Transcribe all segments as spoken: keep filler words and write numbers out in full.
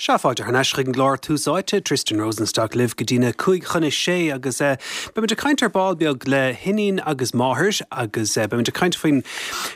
Sea, fáilte thar n-ais chuig an gclár Tús Áite, Tristan Rosenstock libh go dtí na cúig chun a sé agus eh, beimid ag caint ar ball beag le hiníon agus máthair agus eh, beimid ag caint faoin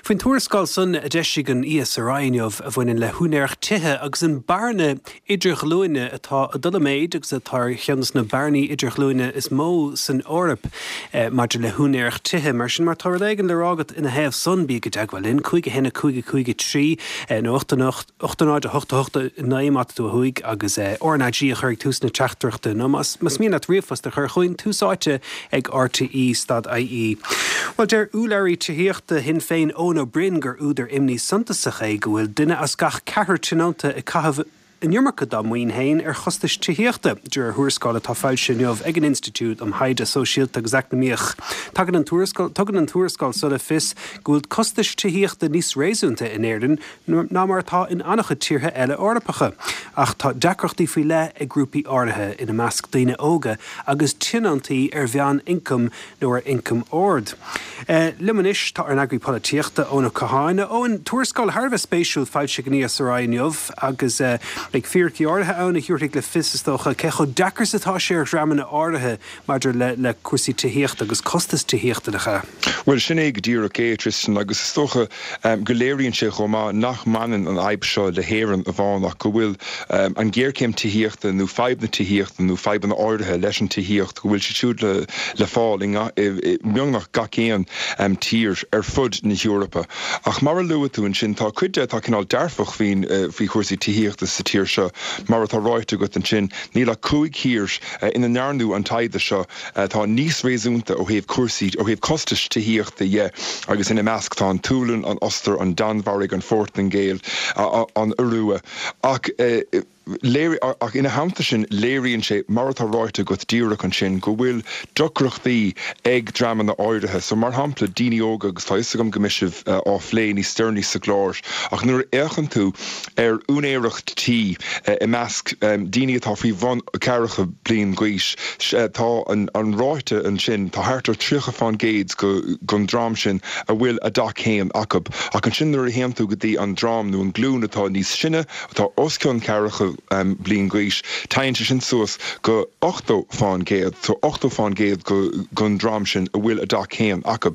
faoin tuarascáil san a d'eisigh an E S R I inniu a bhaineann le húinéireacht tithe agus an bearna idirghlúine atá ag dul i méid agus atá ar cheann de na bearnaí idirghlúine is mó san Eoraip eh, maidir le húinéireacht tithe. Mar sin, má tá rud éigin le rá agat ina thaobh san, bí i dteagmháil linn cúig a haon cúig cúig trí nó ocht ocht náid a hocht hocht naoi má tá tú thuaidh agus R N A G a chur ag tús na teachtaireachta nó más mian leat ríomhphost a chur chugainn, tús áite ag R T E dot I E. Well, deir urlabhraí tithíochta Shinn Féin Eoin Ó Broin gur údar imní suntasach é go bhfuil duine as gach ceathrar tionónta ag caitheamh an iomarca dá maoin féin ar chostais tithíochta, de réir thuarascáil atá foilsithe inniu ag an Institiúid um Thaighde Sóisialta agus Eacnamaíoch. Tagann an tugann an tuarascáil so le fios go bhfuil costais tithíochta níos réasúnta in Éirinn ná mar atá in an-chuid tíortha eile Eorpacha. Ach tá deacrachtaí faoi leith ag grúpaí áirithe, ina measc daoine óga agus tionóntaí ar mheánioncam nó ar ioncam ard. Uh, Liom anois tá ár n-eagraí polaitíochta, Eoin Ó Catháin. Eoin, tuarascáil thar a bheith spéisiúil foilsithe ag an E S R I inniu agus uh, beidh fíricí áirithe ann a thabharfaidh le fios, is dócha, cé chomh deacair is atá sé ar dhreamanna áirithe maidir le le cúrsaí tithíochta agus costas tithíochta lecha. Well, sin é go díreach é, Tristan, agus is dócha um, go léiríonn sé chomh maith nach mbaineann an fhadhb seo le hÉirinn amháin ach go bhfuil um, an géarchéim tithíochta nó fadhb na tithíochta nó fadhbanna áirithe leis an tithíocht, go bhfuil sé siúd le, le fáil i mbeagnach gach aon um, tír ar fud na hEorpa. Ach mar a luaigh tú ansin, tá cuid de atá cineál dearfach faoin uh, faoi chúrsaí tithíochta sa tír seo. Mar atá ráite agat ansin, níl ach cúig thír uh, ina ndearnadh an taighde seo atá níos réasúnta ó thaobh cúrsaí ó thaobh costais tithíochta dhe, agus ina measc tá an tSualainn, an Ostair, an Danmhairg, an Phortaingéil, an Iorua. Ach uh, léir ach ina theannta sin léiríonn sé, mar atá ráite agat díreach ansin, go bhfuil deacrachtaí ag dreamanna áirithe. So mar shampla daoine óga, agus tá agam go mbeidh sibh uh, á phlé níos deireanaí sa gclár, ach nuair a fhéachann tú ar úinéireacht tí uh, i measc um, daoine atá faoi bhun ceathracha bliain d'aois, uh, tá an, an ráta ansin, tá thart ar tríocha faoin gcéad go den dream sin a bhfuil a dteach féin acu. Ach ansin nuair a théann tú go dtí an dream nó an glúin atá níos sine, atá os cionn ceathracha um, bliain d'aois, téann sé sin suas go ochtó faoin gcéad, so ochtó faoin gcéad go den dream sin a bhfuil a dteach féin acu.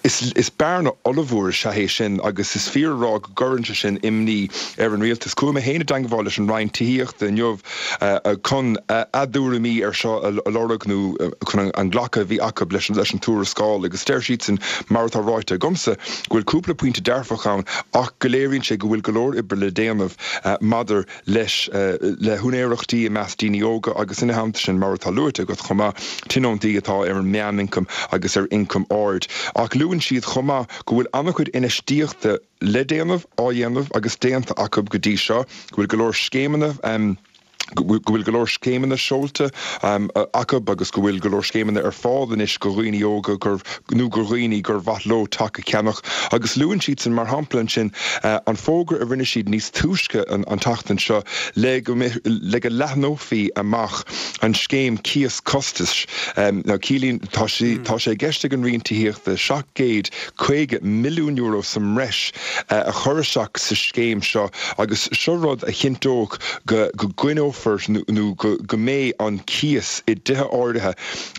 Is, is bearna ollmhór is ea é sin agus is fíor rá go gcuireann sé sin imní ar an rialtas. Chuaigh mé féin i dteagmháil leis an Roinn Tithíochta inniu uh, chun uh, a dtuairimí ar seo a lorg nó uh, chun an glacadh a bhí acu leis leis an tuarascáil, agus deir siad, mar atá ráite agamsa, go bhfuil cúpla pointe dearfach ann ach go léiríonn sé go bhfuil go leor oibre le déanamh uh, maidir leis uh, le húinéireachtaí i measc daoine óga agus ina theannta sin, mar atá luaite agat chomh maith, tionóntaí atá ar an meánioncam agus ar ioncam ard. Ach luann siad chomh maith go bhfuil an-chuid infheistíochta le déanamh, á dhéanamh agus déanta acu go dtí seo, go bhfuil go leor scéimeanna um, go bhfuil go leor scéimeanna seolta um, acu agus go bhfuil go leor scéimeanna ar fáil anois go dhaoine óga gur nó go dhaoine gur mhaith leo teach a cheannach. Agus luann siad sin mar shampla ansin uh, an fógra a rinne siad níos túisce an, an tseachtain seo le go le go leathnófaí amach an scéim cíos costais um, ná cílín tá sé mm. tá sé i gceist ag an Roinn Tithíochta seacht gcéad caoga milliún euro sa mbreis uh, a chur isteach sa scéim seo, agus seo rud a chinnteodh go go gcoinneofar nó go go mbeidh an cíos i dtithe áirithe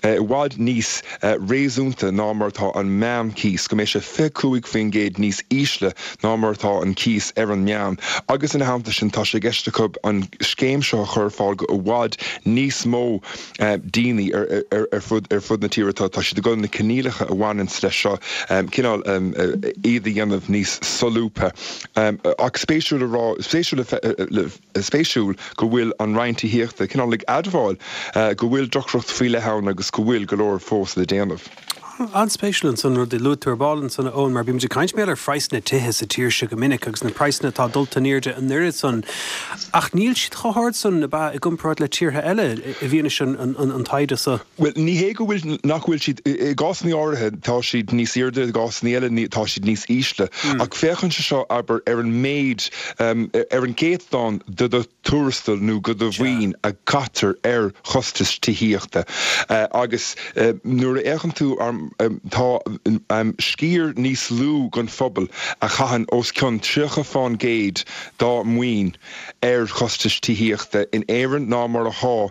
i bhfad níos réasúnta ná mar atá an meánchíos, go mbeidh sé fiche cúig faoin gcéad níos ísle ná mar atá an cíos ar an meán. Agus ina theannta sin tá sé i gceist acu an scéim seo a chur ar fáil go i bhfad níos mó daoine ar, ar, ar fud ar fud na tíre. tá tá siad ag dul na coinníollacha a bhaineann leis seo cineál iad a dhéanamh níos solúbtha. Ach spéisiúil a rá spéisiúil spéisiúil go bhfuil an Roinn Tithíochta cineál ag admháil go bhfuil deacracht faoi leith ann agus go bhfuil go leor fós le déanamh. An-spéisiúil ansan rud a luaigh tú ar ball ansan, Eoin, mar bímid ag caint mé ar phraghsanna tithe sa tír seo go minic agus na praghsanna atá dulta in airde an oiread san. Ach níl siad chomh hard san a ba i gcomparáid le tíortha eile i bhfianaise an, an, an taighde seo. Well, ní hé go bhfuil nach bhfuil siad i gcásanna áirithe tá siad níos airde, i gcásanna eile tá siad níos ísle. Mm. Ach féachann sé seo, abair, ar an méid um, ar an gcéatadán de do tuarastal nó go do mhaoin a chaitear ar chostas tithíochta. Uh, agus uh, nuair a fhéachann tú ar tá sciar níos lú den phobal a chaitheann os cionn tríocha faoin gcéad dá maoin ar chostais tithíochta in Éirinn ná mar atá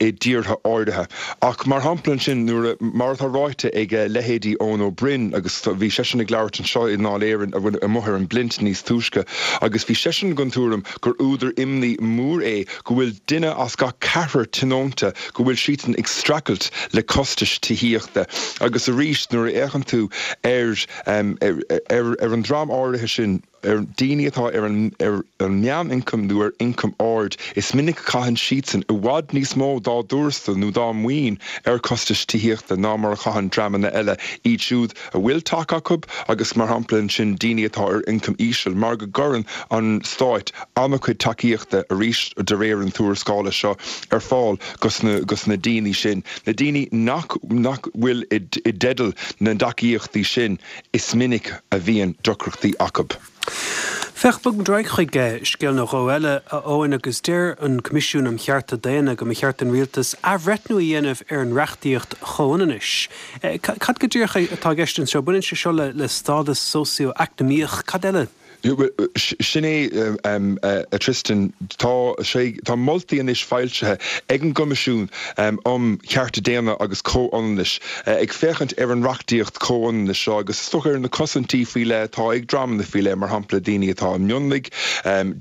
i dtíortha áirithe. Ach mar shampla ansin nuair mar atá ráite ag leithéidí Eoin Ó Broin agus bhí seisean ag labhairt anseo i nDáil Éireann amuigh ar an bPlint níos túisce agus bhí seisean den tuairim gur údar imní mór é go bhfuil duine as gach ceathrar tionónta go bhfuil siadsan ag streachailt le costais tithíochta agus arís nuair a fhéachann tú ar ar ar an dream áirithe sin ar daoine atá ar an ar an meánioncam nó ar ioncam ard, is minic a chaitheann siadsan i bhfad níos mó dá dtuarastal nó dá maoin ar chostais tithíochta ná mar a chaitheann dreamanna eile, iad siúd a bhfuil teach acu agus mar shampla ansin daoine atá ar ioncam íseal, mar go gcuireann an stáit an-chuid tacaíochta arís de réir an tuarascála seo ar fáil gos na gos na daoine sin. Na daoine nach nach bhfuil i i dteideal na dtacaíochtaí sin, is minic a bhíonn deacrachtaí acu. Féach, bogfaidh muid ar aghaidh chuig scéal nó dhó eile, a Eoin, agus deir an Coimisiún um Chearta Daonna go mba cheart don rialtas athbhreithniú a dhéanamh ar an reachtaíocht chomhionannais. Cad go díreach atá i gceist anseo? Baineann sé seo le le stádas socio-eacnamaíoch, cad eile? Sin é, a Tristan, tá sé tá moltaí anois foilsithe ag an gCoimisiún um Chearta Daonna agus Comhionannais ag féachaint ar an reachtaíocht chomhionannais seo agus is dócha ar na cosaintí faoi leith atá ag dreamanna faoi leith, mar shampla daoine atá i mionlaigh,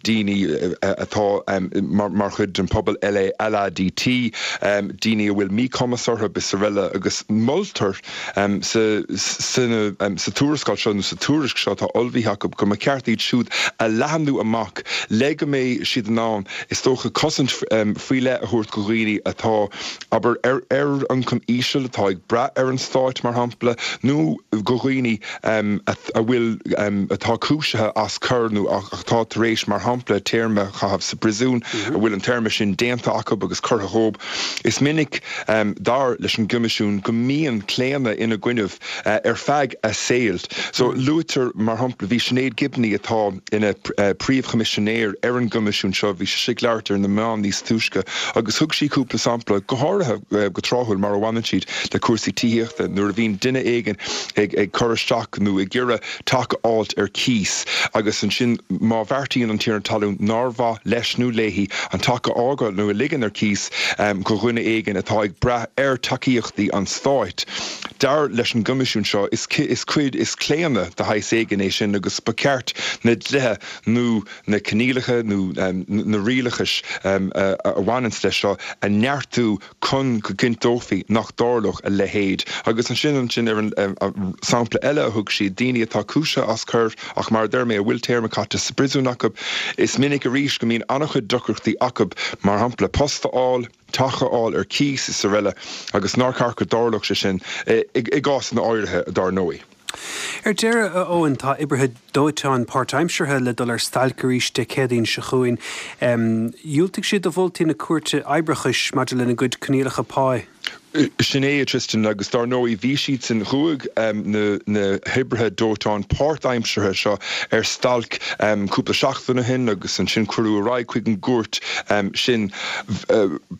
daoine atá mar chuid den phobal LADT, daoine a bhfuil míchumas orthu is araile agus moltar sa sa tuarascáil seo nó sa tuairisc seo atá ullmhaithe acu go mba cheart iad siúd a leathnú amach le go mbeidh siad in ann is dócha cosaint faoi leith a thabhairt go dhaoine atá abair ar ar ioncam íseal atá ag brath ar an stáit mar shampla nó go dhaoine a bhfuil atá cúisithe as coir nó atá tar éis mar shampla téarma a chaitheamh sa bpríosún a bhfuil an téarma sin déanta acu agus curtha dhóibh. Is minic dar leis an gCoimisiún go mbíonn claonadh ina gcoinnibh ar feadh a saoil. So luaitear mar shampla bhí Sinéad Gibney atá ina príomhchoimisinéir ar an gCoimisiún seo, bhí sise ag labhairt ar na meáin níos túisce agus thug sí cúpla sampla, go háirithe go tráthúil mar a bhaineann siad le cúrsaí tithíochta, nuair a bhíonn duine éigin ag ag cur isteach nó ag iarraidh teach a fháilt ar cíos agus ansin má bheartaíonn an tiarna talún nár mhaith leis nó léi an teach a fhágáil nó a ligean ar cíos go dhuine éigin atá ag brath ar tacaíochtaí an stáit. Dar leis an gCoimisiún seo, is is cuid is claonadh de shaghas éigin é sin agus ba cheart na dlíthe nó na coinníollacha nó na rialachais a bhaineanns leis seo a neartú chun go gcinnteofaí nach dtarlódh a leithéid. Agus ansin ansin ar an sampla eile a thug siad, daoine atá cúisithe as coir ach mar a deir mé a bhfuil téarma caite sa bpríosún acu, is minic arís go mbíonn an-chuid deacrachtaí acu, mar shampla post a fháil, teach a fháil ar cíos is araile agus nár cheart go dtarlódh sé sin i gcásanna áirithe dar ndóigh. Ar deireadh, a Eoin, tá oibrithe dóiteáin páirtaimseartha le dul ar stailc arís Dé Céadaoin seo chugainn. Dhiúltaigh siad do mholtaí na Cúirte Oibreachais maidir lena gcuid coinníollacha páí. Sin é, a Tristan, agus dar ndóigh bhí siadsan, chuaigh na na hoibrithe dóiteáin páirtaimseartha seo ar stailc cúpla seachtain ó shin agus ansin cuireadh ar aghaidh chuig an gcúirt sin.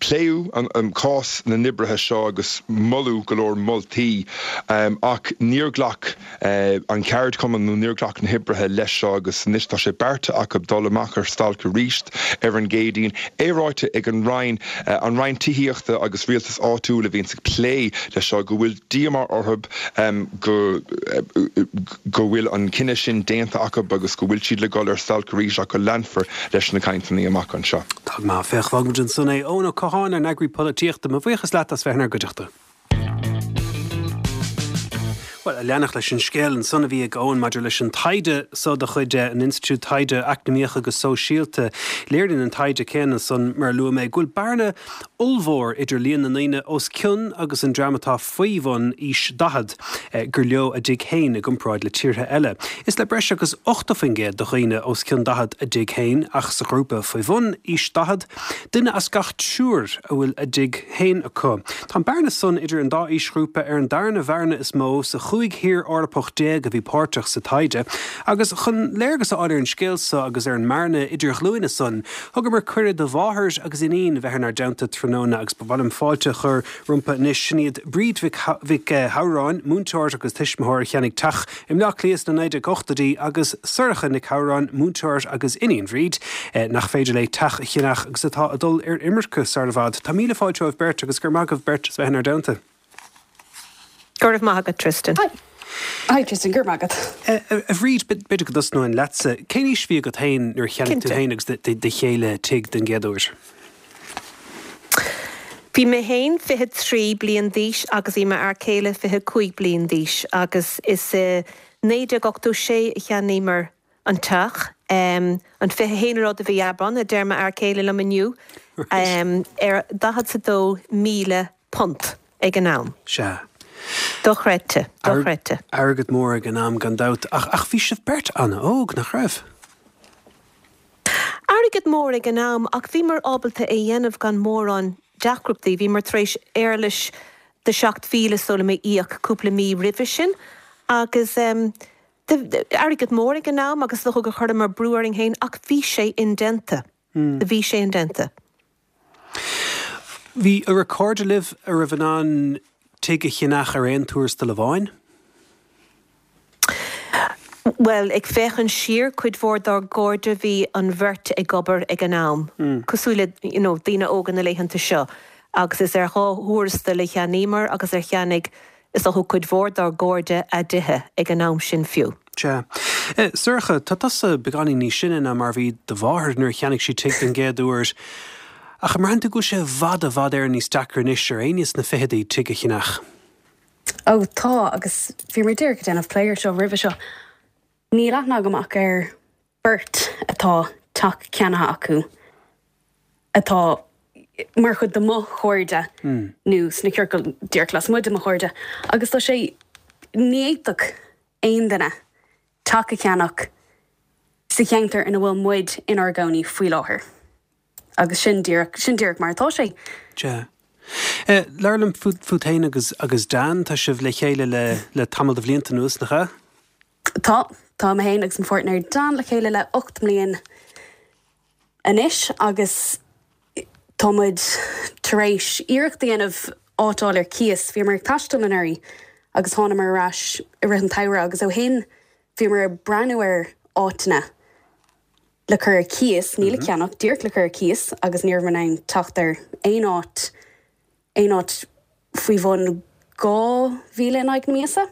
Pléadh an cás na n-oibrithe seo agus moladh go leor moltaí ach níor ghlac an ceardchumann nó níor ghlac na hoibrithe leis seo agus anois tá sé beartaithe acu dul amach ar stailc arís ar an gCéadaoin. É ráite ag an Roinn, an Roinn Tithíochta agus Rialtais Áitiúil a bhíonns ag plé leis seo, go bhfuil díomá orthu go go bhfuil an cinneadh sin déanta acu agus go bhfuil siad le dul ar stailc arís ach go leanfar leis na cainteanna amach anseo. Tá go maith. Féach, fágfaidh muid ansan é. Eoin Ó Catháin, ár n-eagraí polaitíochta, mo bhuíochas leat as bheith inár gcuideachta. Bhuel, a leanacht leis an scéal ansan a bhí ag Eoin maidir leis an taighde so de chuid an Institiúid Taighde Eacnamaíoch agus Sóisialta, léiríonn an taighde céanna san, mar a luaigh mé, go bhfuil bearna ollmhór idir líon na ndaoine os cionn agus an dream atá faoi bhun aois daichead gur leo a dtigh féin i gcomparáid le tíortha eile. Is le breis agus ochtó faoin gcéad de dhaoine os cionn daichead a dtigh féin ach sa ghrúpa faoi bhun aois daichead, duine as gach triúr a bhfuil a dtigh féin acu. Tá an bearna san idir an dá aoisghrúpa ar an darna bhearna is mó sa Chúig thír Eorpach déag a bhí páirteach sa taighde, agus chun léargas a fháil ar an scéal so agus ar an mbearna idirghlúine san, thugamar cuireadh do mháthair agus iníon bheith inár dteannta tráthnóna agus ba mhaith liom fáilte a chur rompu anois. Sin iad Bríd Mhic Shamhráin, múinteoir agus tuismitheoir a cheannaigh teach i mBleá Cliath sna naoi déag ochtóidí agus Sorcha Nic Shamhráin, múinteoir agus iníon Bhríd, nach féidir léi teach a cheannach agus atá ag dul ar imirce sar i bhfad. Tá míle fáilte romhaibh beirt agus go raibh maith agaibh beirt as bheith inár dteannta. Go raibh maith agat, Tristan. Hi. Hi Tristan, go raibh maith agat. A Bhríd, b'fhéidir go dtosnóinn leatsa. Cén aois a bhí agat féin nuair a cheannaigh tú féin agus do chéile tigh den gcéad uair? Bhí mé féin fiche trí bliain d'aois agus bhí m'fhear céile fiche cúig bliain d'aois agus is i naoi déag ochtó sé a cheannaíomar an teach. An fiche haon lá de mhí Aibreán, a deir m'fhear céile liom inniu, ar daichead is a dó míle punt ag an am. Sea. Dochreidte, dochreidte. Airgead mór ag an am gan dabht, ach ach bhí sibh beirt an-óg, nach raibh? Airgead mór ag an am, ach bhíomar ábalta é dhéanamh gan mórán deacrachtaí. Bhíomar tar éis éarlais de seacht mhíle is dóigh liom a íoc cúpla mí roimhe sin agus airgead mór ag an am agus is dócha gur chuireamar brú orainn féin ach bhí sé indéanta. Bhí sé indéanta. Bhí an raibh cairde libh a raibh in ann tigh a cheannach ar aon tuarastal amháin? Bhuel, ag féachaint siar, cuid mhór dár gcairde bhí an bheirt ag obair ag an am, cosúil le you know, daoine óga na laethanta seo, agus is ar dhá thuarastal a cheannaíomar agus ar cheannaigh is dócha cuid mhór dár gcairde a dtithe ag an am sin fiú. Sea. Sorcha, tá tusa beagáinín níos sine ná mar a bhí do mháthair nuair a cheannaigh sí tigh den gcéad uair. Ach an mbraitheann tú go bhfuil sé i bhfad, i bhfad Éireann níos deacra anois ar éinne sna fichidí tigh a cheannach? Ó tá, agus bhíomar díreach ag déanamh plé air seo roimhe seo. Níl aithne agam ach ar beirt atá teach ceannaithe acu atá mar chuid de mo chairde nó sna ciorcail díreach lasmuigh de mo chairde agus tá sé, ní fhéadfadh aon duine teach a cheannach sa cheantar ina bhfuil muid inár gcónaí faoi láthair. Agus sin díreach, sin díreach mar atá sé. Sea. Labhair liom fút, fút féin agus, agus Dan, tá sibh le chéile le, le tamall de bhlianta anuas, nach ea? Tá, tá mé féin agus mo pháirtnéir Dan le chéile le ocht mbliain anois agus tá muid tar éis iarracht a dhéanamh áit a fháil ar cíos. Bhíomar ag taisteal anuraidh agus thánamar ar ais i rith an tsamhraidh agus ó shin bhíomar ag breathnú ar áiteanna le cur ar cíos, ní le ceannach, díreach le cur ar cíos agus ní rabhamar in ann teacht ar aon áit, aon áit faoi bhun dhá mhíle in aghaidh na míosa.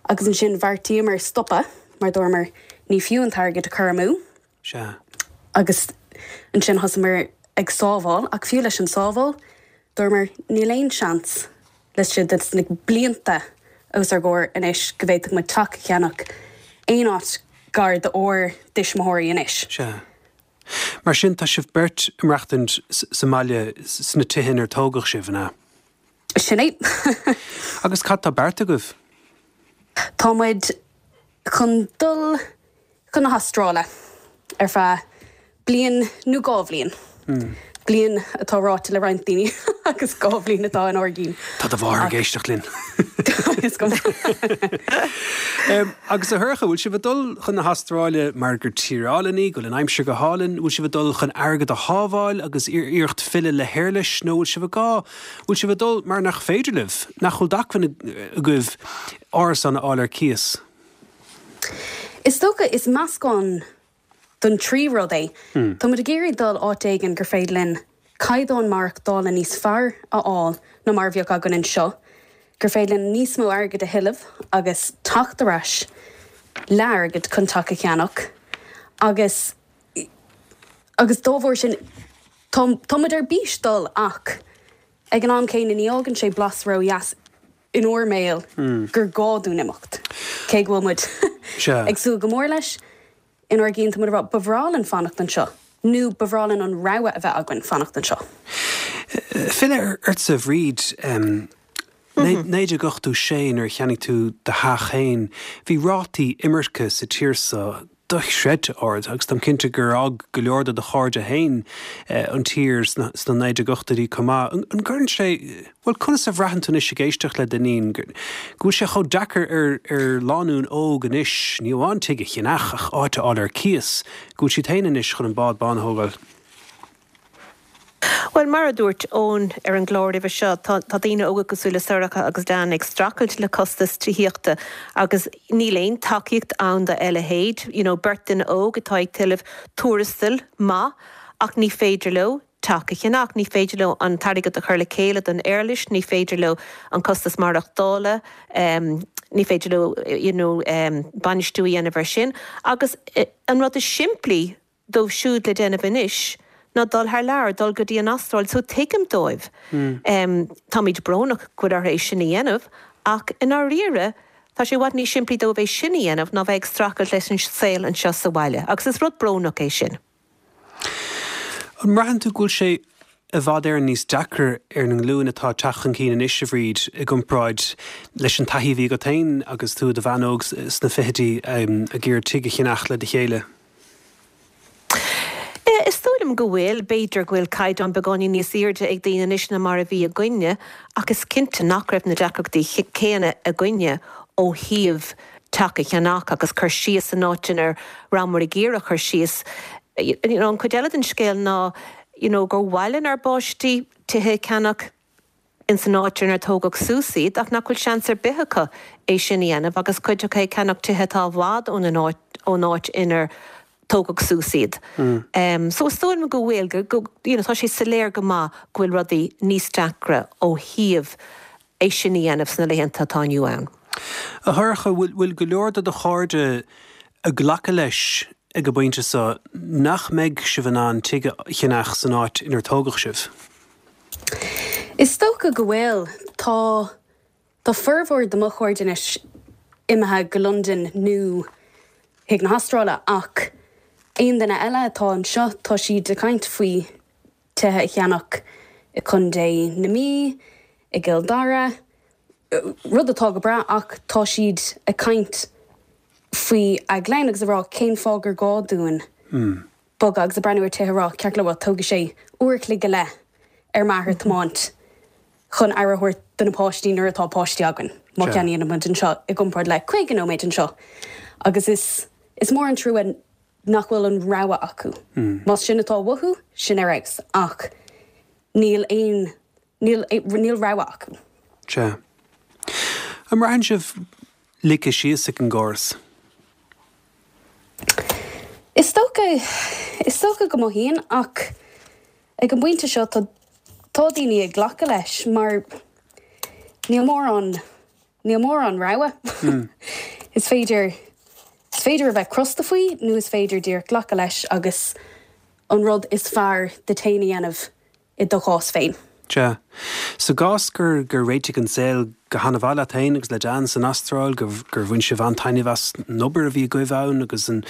Agus ansin bheartaíomar stopadh mar dúramar ní fiú an t-airgead a chur amú. Sea. Agus ansin thosaíomar ag sábháil ach fiú leis an sábháil, dúramar níl aon seans laistigh de na blianta os ár gcomhair anois go bhféadfadh muid teach a cheannach aon áit gar d'ár dtuismitheoirí anois. Sea. Mar sin, tá sibh beirt ag maireachtaint sa mbaile sna tithe inar tógadh sibh, an ea? Sin é. Agus cad tá beartaithe agaibh? Tá muid chun dul chun na hAstráile ar feadh bliain nó dhá bhliain. Bliain atá ráite le roinnt daoine agus dhá bhliain atá inár gcinn. Tá do mháthair ag éisteacht linn. Is cuma. Agus a Shorcha, bhfuil sibh ag dul chun na hAstráile mar gur tír álainn í, go bhfuil an aimsir go hálainn, bhfuil sibh ag dul chun airgead a shábháil agus iarracht filleadh le héarlais nó bhfuil sibh ag gá, bhfuil sibh ag dul mar nach féidir libh, nach bhfuil d'acmhainn agaibh árasán a fháil ar cíos? Is dócha, is meascán den trí rud é. Tá muid ag iarraidh dul áit éigin gur féidir linn caighdeán maireachtála níos fearr a fháil ná mar a bheadh againn anseo, gur féidir linn níos mó airgid a thuilleamh agus teacht ar ais le airgead chun teach a cheannach agus agus dá bharr sin tá tá muid ar bís dul ach ag an am céanna ní fhágann sé blas ródheas inár mbéal gur gá dúinn imeacht, cé go bhfuil muid ag súil go mór leis. Inár gcinn tá muid ag rá, ba bhreá linn fanacht anseo, nó ba bhreá linn an rogha a bheith againn fanacht anseo. Filleadh ortsa, a Bhríd, naoi déag ochtó sé nuair a cheannaigh tú do theach féin, bhí rátaí imirce sa tír seo dochreidte ard agus táim cinnte gur fhág go leor de do chairde féin an tír sna naoi déag ochtóidí chomh maith. An gcuireann sé, bhuel, conas a bhraitheann tú anois ag éisteacht le d'iníon, go bhfuil sé chomh deacair ar ar lánúin óg anois, ní amháin tigh a cheannach ach áit a fháil ar cíos, go bhfuil siad féin anois chun an bád bán a thógáil? Bhuel, mar a dúirt Eoin ar an gclár roimhe seo, tá daoine óga cosúil le Sorcha agus Dan ag streachailt le costas tithíochta agus níl aon tacaíocht ann dá leithéid. You know, beirt duine óg atá ag tuilleamh tuarastal maith ach ní féidir leo teach a cheannach, ní féidir leo an t-airgead a chur le chéile don éarlais, ní féidir leo an costas maireachtála, ní féidir leo you know, bainistiú a dhéanamh air sin. Agus an rud is simplí dóibh siúd le déanamh anois ná dul thar lear, dul go dtí an Astráil, so tuigim dóibh. Táimid brónach go bhfuil orthu é sin a dhéanamh, ach i ndáiríre, tá sé i bhfad níos simplí dóibh é sin a dhéanamh ná bheith ag streachailt leis an saol anseo sa bhaile, agus is rud brónach é sin. An mbraitheann tú go bhfuil sé i bhfad Éireann níos deacra ar an nglúin atá ag teacht chun cinn anois, a Bhríd, i gcomparáid leis an taithí a bhí agat féin agus tú i do bhean óg sna fichidí ag iarraidh tigh a cheannach le do chéile? Is dóigh liom go bhfuil. B'fhéidir go bhfuil caighdeán beagáinín níos airde ag daoine anois ná mar a bhí againne, ach is cinnte nach raibh na deacrachtaí céanna againne ó thaobh teach a cheannach agus cur síos san áit inar rabhamar ag iarraidh cur síos. You know, an chuid eile den scéal ná you know, gur mhaith lenár bpáistí tithe a cheannach ins an áit inar tógadh suas iad ach nach bhfuil seans ar bith acu é sin a dhéanamh agus cuid acu ag ceannach tithe atá i bhfad ón ón áit inar tógadh suas iad. So is dóigh liom go bhfuil, go, you know, tá sé soiléir go maith go bhfuil rudaí níos deacra ó thaobh é sin a dhéanamh sna laethanta atá inniu ann. A Shorcha, bhfuil, bhfuil go leor de do chairde ag glacadh leis ag an bpointe seo nach mbeidh sibh in ann tigh a cheannach san áit inar tógadh sibh? Is dócha go bhfuil. Tá, tá formhór de mo chairde anois imithe go Londain nó chuig na hAstráile ach aon duine eile atá anseo tá siad ag caint faoi tithe a cheannach i Contae na Mí, i gCill Dara, rud atá go breá ach tá siad ag caint faoi a gclann agus ag rá cén fáth gur gá dúinn bogadh agus ag breathnú ar tithe ag rá ceart go leor tógfaidh sé uair a chloig go leith ar m'athair tiomáint chun aire a thabhairt do na páistí nuair atá páistí againn má cheannaíonn muid anseo i gcomparáid le caoga nóiméad anseo agus is is mór an trua nach bhfuil an rogha acu. Más sin atá uathu, sin ar fheabhas ach níl aon níl níl rogha acu. Sea. An mbraitheann sibh ligthe síos ag an gcóras? Is dócha, is dócha go mothaíonn ach ag an bpointe seo tá tá daoine ag glacadh leis mar níl mórán níl mórán rogha. Is féidir is féidir a bheith crosta faoi nó is féidir díreach glacadh leis agus an rud is fearr duit féin a dhéanamh i do chás féin. Sea. Sa gcás gur gur réitigh an saol go han-mhaith leat féin agus le Dan san Astráil, gur gur bhain sibh an-taitneamh as an obair a bhí agaibh ann agus an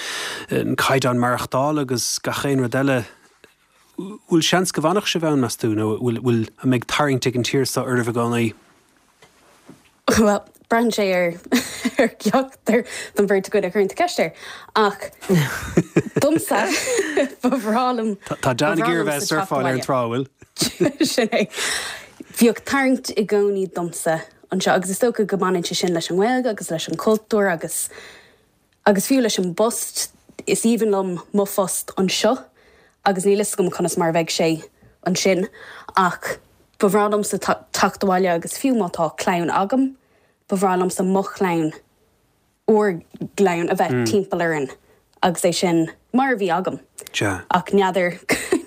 an caighdeán maireachtála agus gach aon rud eile, bhfuil seans go bhfanfadh sibh ann, meas tú, nó bhfuil bhfuil an mbeidh tarraingt ag an tír seo oraibh i gcónaí? Bhuel, braitheann sé ar ar cheachtar den bheirt againn a chuireann tú ceist air. Ach domsa, ba bhreá liom, Tá Dan ag iarraidh a bheith ag surfáil ar an trá, bhfuil? Sin é. Bhíodh tarraingt i gcónaí domsa anseo agus is dócha go mbaineann sé sin leis an nGaeilge agus leis an chultúr agus agus fiú leis an bpost. Is aoibhinn liom mo phost anseo agus níl fhios agam conas mar a bheidh sé ansin ach ba bhreá liomsa teacht abhaile agus fiú má tá clann agam, ba bhreá liomsa mo chlann, ár gclann a bheith timpeall orainn agus é sin mar a bhí agam. Sea. Ach n'fheadar,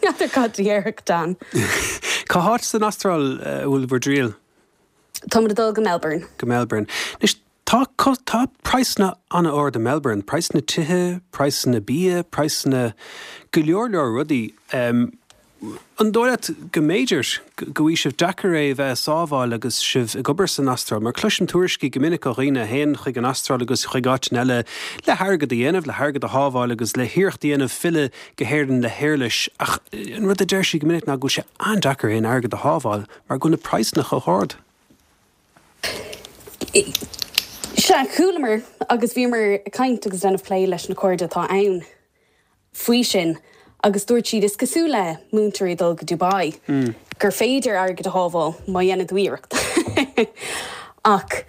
n'fheadar cad a déarfadh Dan. Cá háit san Astráil a bhfuil bhur dtriall? Tá muid ag dul go Melbourne. Go Melbourne. Anois, tá, tá praghsanna an-ard i Melbourne, praghsanna tithe, praghsanna bia, praghsanna go leor leor rudaí. An dóigh leat go mb'fhéidir go bhfaighidh sibh deacair é a bheith ag sábháil agus sibh ag obair san Astráil? Mar cloisim tuairiscí go minic ó dhaoine a théann chuig an Astráil agus chuig áiteanna eile le hairgead a dhéanamh, le hairgead a shábháil agus le hiarracht a dhéanamh filleadh go hÉirinn le héarlais ach an rud a deir siad go minic ná go bhfuil sé an-deacair aon airgead a shábháil mar go bhfuil na praghsanna chomh hard. Sea, chualamar agus bhíomar ag caint agus déanamh plé leis na cairde atá ann faoi sin agus dúirt siad is cosúil le múinteoirí dul go Dubai gur féidir airgead a shábháil má dhéanann tú iarracht. Ach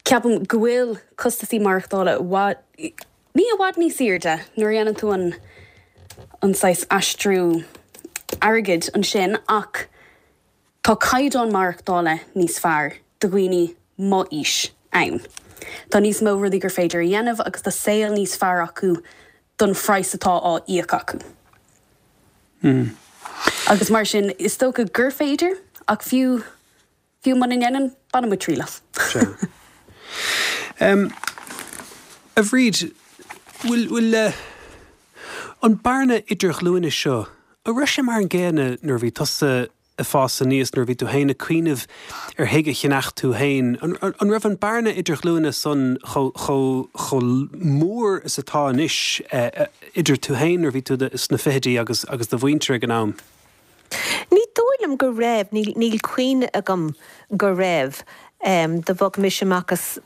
ceapaim go bhfuil costasaí maireachtála ní i bhfad níos airde nuair a dhéanann tú an an saghas aistriú airgid ansin ach tá caighdeán maireachtála níos fearr do dhaoine m'aois ann. Tá níos mó rudaí gur féidir a dhéanamh agus tá saol níos fearr acu don phraghas atá á íoc acu. Mm. Agus mar sin is dócha gur féidir ach fiú fiú muna ndéanann bainfidh muid triail as. Um, a Bhríd, bhfuil bhfuil uh, an bearna idirghlúine seo, an raibh sé mar an gcéanna nuair a bhí tusa ag fás aníos nuair a bhí tú féin ag cuimhneamh ar thigh a cheannach tú féin. An, an, an raibh an bearna idirghlúine san chomh mór is atá anois eh, idir tú féin nuair a bhí tú sna fichidí agus agus do mhuintir ag an am? Ní dóigh liom go raibh, níl cuimhne agam go raibh. Um, do bhog mise amach as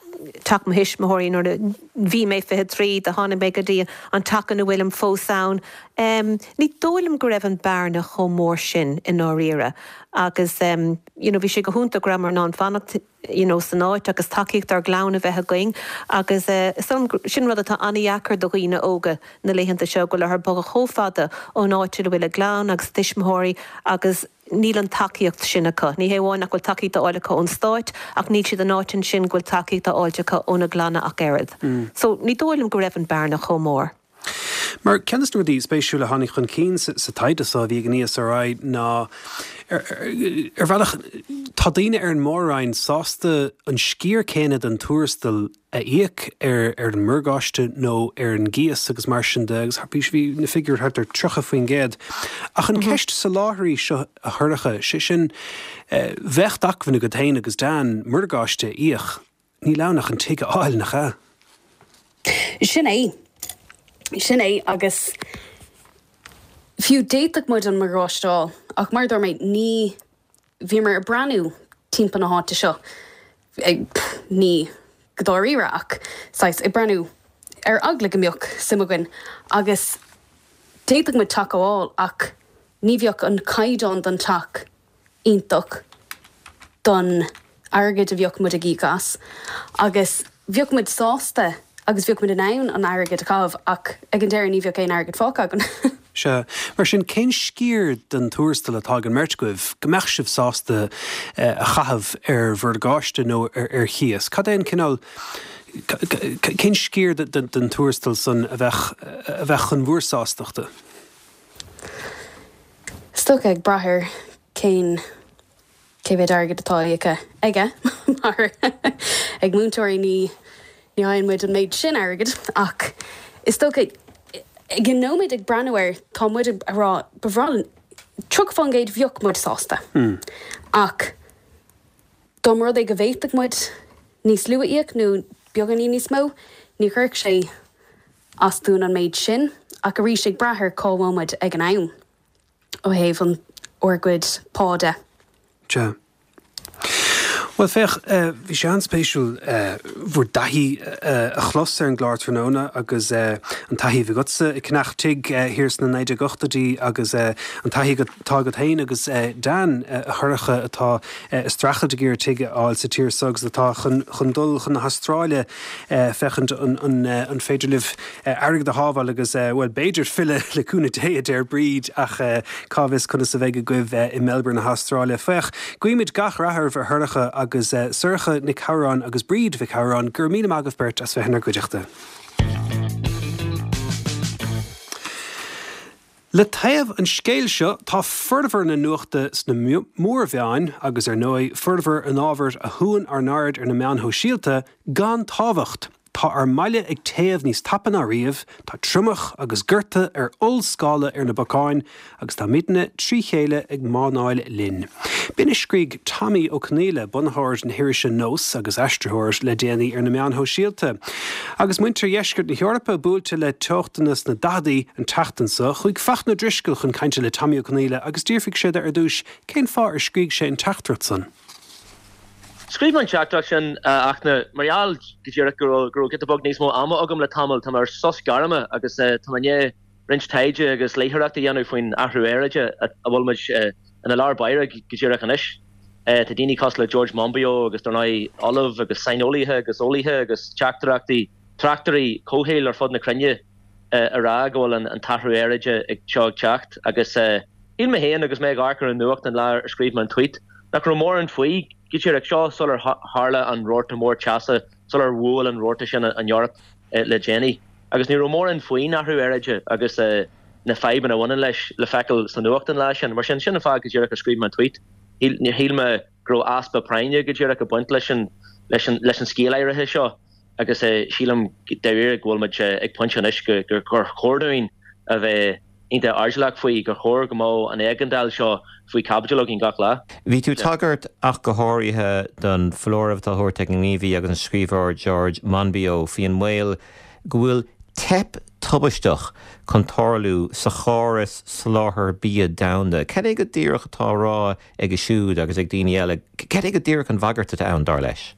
teach mo thuismitheoirí nuair a bhí mé fiche trí do tháinig mé go dtí an teach ina bhfuilim fós ann. Um, ní dóigh liom go raibh an bearna chomh mór sin i ndáiríre agus um, you know, bhí sé go hiontach go rabhamar in ann fanacht you know, san áit agus tacaíocht ár gclann a bheith againn agus uh, sin rud atá an-deacair do dhaoine óga na laethanta seo go bhfuil orthu bogadh chomh fada ón áit ina bhfuil a gclann agus tuismitheoirí agus níl an tacaíocht sin acu. Ní hé amháin nach bhfuil tacaíocht á fháil acu ón stát ach níl siad in áit ansin go bhfuil tacaíocht á fháil acu óna gclanna ach oiread. Mm. So ní dóigh liom go raibh an bearna chomh mór. Mar ceann de na rudaí spéisiúla a tháinig chun cinn sa taighde seo a bhí ag an ESRI ná ar bhealach tá daoine ar an mór-roinn sásta an sciar céanna den tuarastal a íoc ar ar an morgáiste nó ar an gcíos agus mar sin de agus bhí bhí na figiúir thart ar tríocha faoin gcéad. Ach an mhm. ceist soláthair seo a Shorcha sé sin eh, bheadh acmhainn agat féin agus Dan morgáiste a íoc, níl ann ach an tigh a fháil nach ea. Sin é. Sin é agus fiú d'fhéadfadh muid an morgáiste a fháil ach mar dúirt mé ní bhíomar ag breathnú timpeall na háite seo ní go dáiríre ach saghas ag breathnú ar eagla go mbeadh suim againn agus d'fhéadfadh muid teach a fháil ach ní bheadh an caighdeán don teach iontach don airgead a bheadh muid ag íoc as agus bheadh muid sásta agus bheadh muid in ann an airgead a chaitheamh ach ag an deireadh ní bheadh aon airgead fágtha againn. Sea, mar sin cén sciar den tuarastal atá ag an mbeirt agaibh go mbeadh sibh sásta eh, a chaitheamh ar mhorgáiste nó ar, ar chíos? Cad é an cineál cén sciar den tuarastal san a bheadh a bheadh chun bhur sástachta? Is dócha ag brath ar cén cé mhéad airgead atá aige aige mar ag múinteoirí ní ní fhaigheann muid an méid sin airgid ach is dócha ag an nóiméad ag breathnú air tá muid ag rá ba bhreá linn tríocha faoin gcéad bheadh muid sásta. Mm. Ach dá mba rud é go bhféadfadh muid níos lú a íoc nó beagáinín níos mó, ní chuirfeadh sé as dúinn an méid sin ach arís ag brath ar cá bhfuil muid ag an am ó thaobh an ár gcuid pá de. Sea. Bhuel féach, bhí sé an-spéisiúil bhur dtaithí a chlos ar an gclár tráthnóna agus an taithí a bhí agatsa ag ceannach tigh thiar sna naoi déag ochtóidí agus an taithí atá agat féin agus Dan a Shorcha atá ag streachailt ag iarraidh tigh a fháil sa tír seo agus atá chun dul chun na hAstráile féachaint an féidir libh airgead a shábháil agus, bhuel, b'fhéidir filleadh le cúnamh Dé, a deir Bríd, ach cá bhfios conas a bheidh agaibh i Melbourne na hAstráile. Féach, guímid gach rath oraibh a Shorcha agus Sorcha Nic Shamhráin agus Bríd Mhic Shamhráin, go raibh míle maith agaibh beirt as bheith inár gcuideachta. Le taobh an scéil seo, tá formhór na nuachta sna mórmheáin, agus ar ndóigh, formhór an ábhair a shúann ár n-aird ar na meáin shóisialta, gan tábhacht. Tá ár mbaile ag téamh níos tapa ná riamh, tá triomach agus gorta ar ollscála ar na bacáin agus táimidne trí chéile ag mánáil linn. B'in a scrígh Tommy Ó Conghaile, bunaitheoir na hirise Nós agus aistritheoir, le déanaí ar na meáin shóisialta. Agus muintir dheisceart na hEorpa buailte le teochtanna sna daicheadaí an tseachtain seo, chuaigh Fachtna Ó Drisceoil chun cainte le Tommy Ó Conghaile agus d'fhiafraigh sé de ar dtús cén fáth ar scrígh sé an teachtaireacht san. Scríobh mé an teachtaireacht sin, a Fhachtna, mar gheall go díreach go raibh go raibh giota beag níos mó ama agam le tamall. Tá mé ar sos gairme agus tá mé i ndiaidh roinnt taighde agus léitheoireacht a dhéanamh faoin athrú aeráide a bhfuil muid ina lár báire go díreach anois. Tá daoine cosúil le George Monbiot agus dar ndóigh ollamh agus saineolaithe agus eolaithe agus teachtaireachtaí, tráchtairí comhshaoil ar fud na cruinne a rá go bhfuil an t-athrú aeráide seo ag teacht agus shíl mé féin agus mé ag amharc ar an nuacht an lá ar scríobh mé an tweet nach raibh mórán faoi go díreach seo sular tharla an rabharta mór teasa, sular bhuail an rabharta sin an Eoraip le déanaí. Agus ní raibh mórán faoin athrú aeráide agus na fadhbanna a bhaineann leis le feiceáil sa nuacht an lá sin. Mar sin, sin an fáth go díreach ar scríobh mé an tweet. Níor shíl mé go raibh easpa práinne go díreach ag baint leis an leis an leis an scéal áirithe seo agus sílim dáiríre go bhfuil muid ag pointe anois gur chóir dúinn a bheith iontach airdeallach faoi, gur chóir go mbeadh an éigeandáil seo faoi chaibidil againn gach lá. Bhí tú ag tagairt ach go háirithe don foláireamh atá á thabhairt ag an ngníomhaí agus an scríbhneoir George Monbiot faoi an mbaol go bhfuil teip tubaisteach chun tarlú sa chóras soláthair bia domhanda. Cad é go díreach atá á rá aige siúd agus ag daoine eile? Cad é go díreach an bhagairt atá ann, dar leis?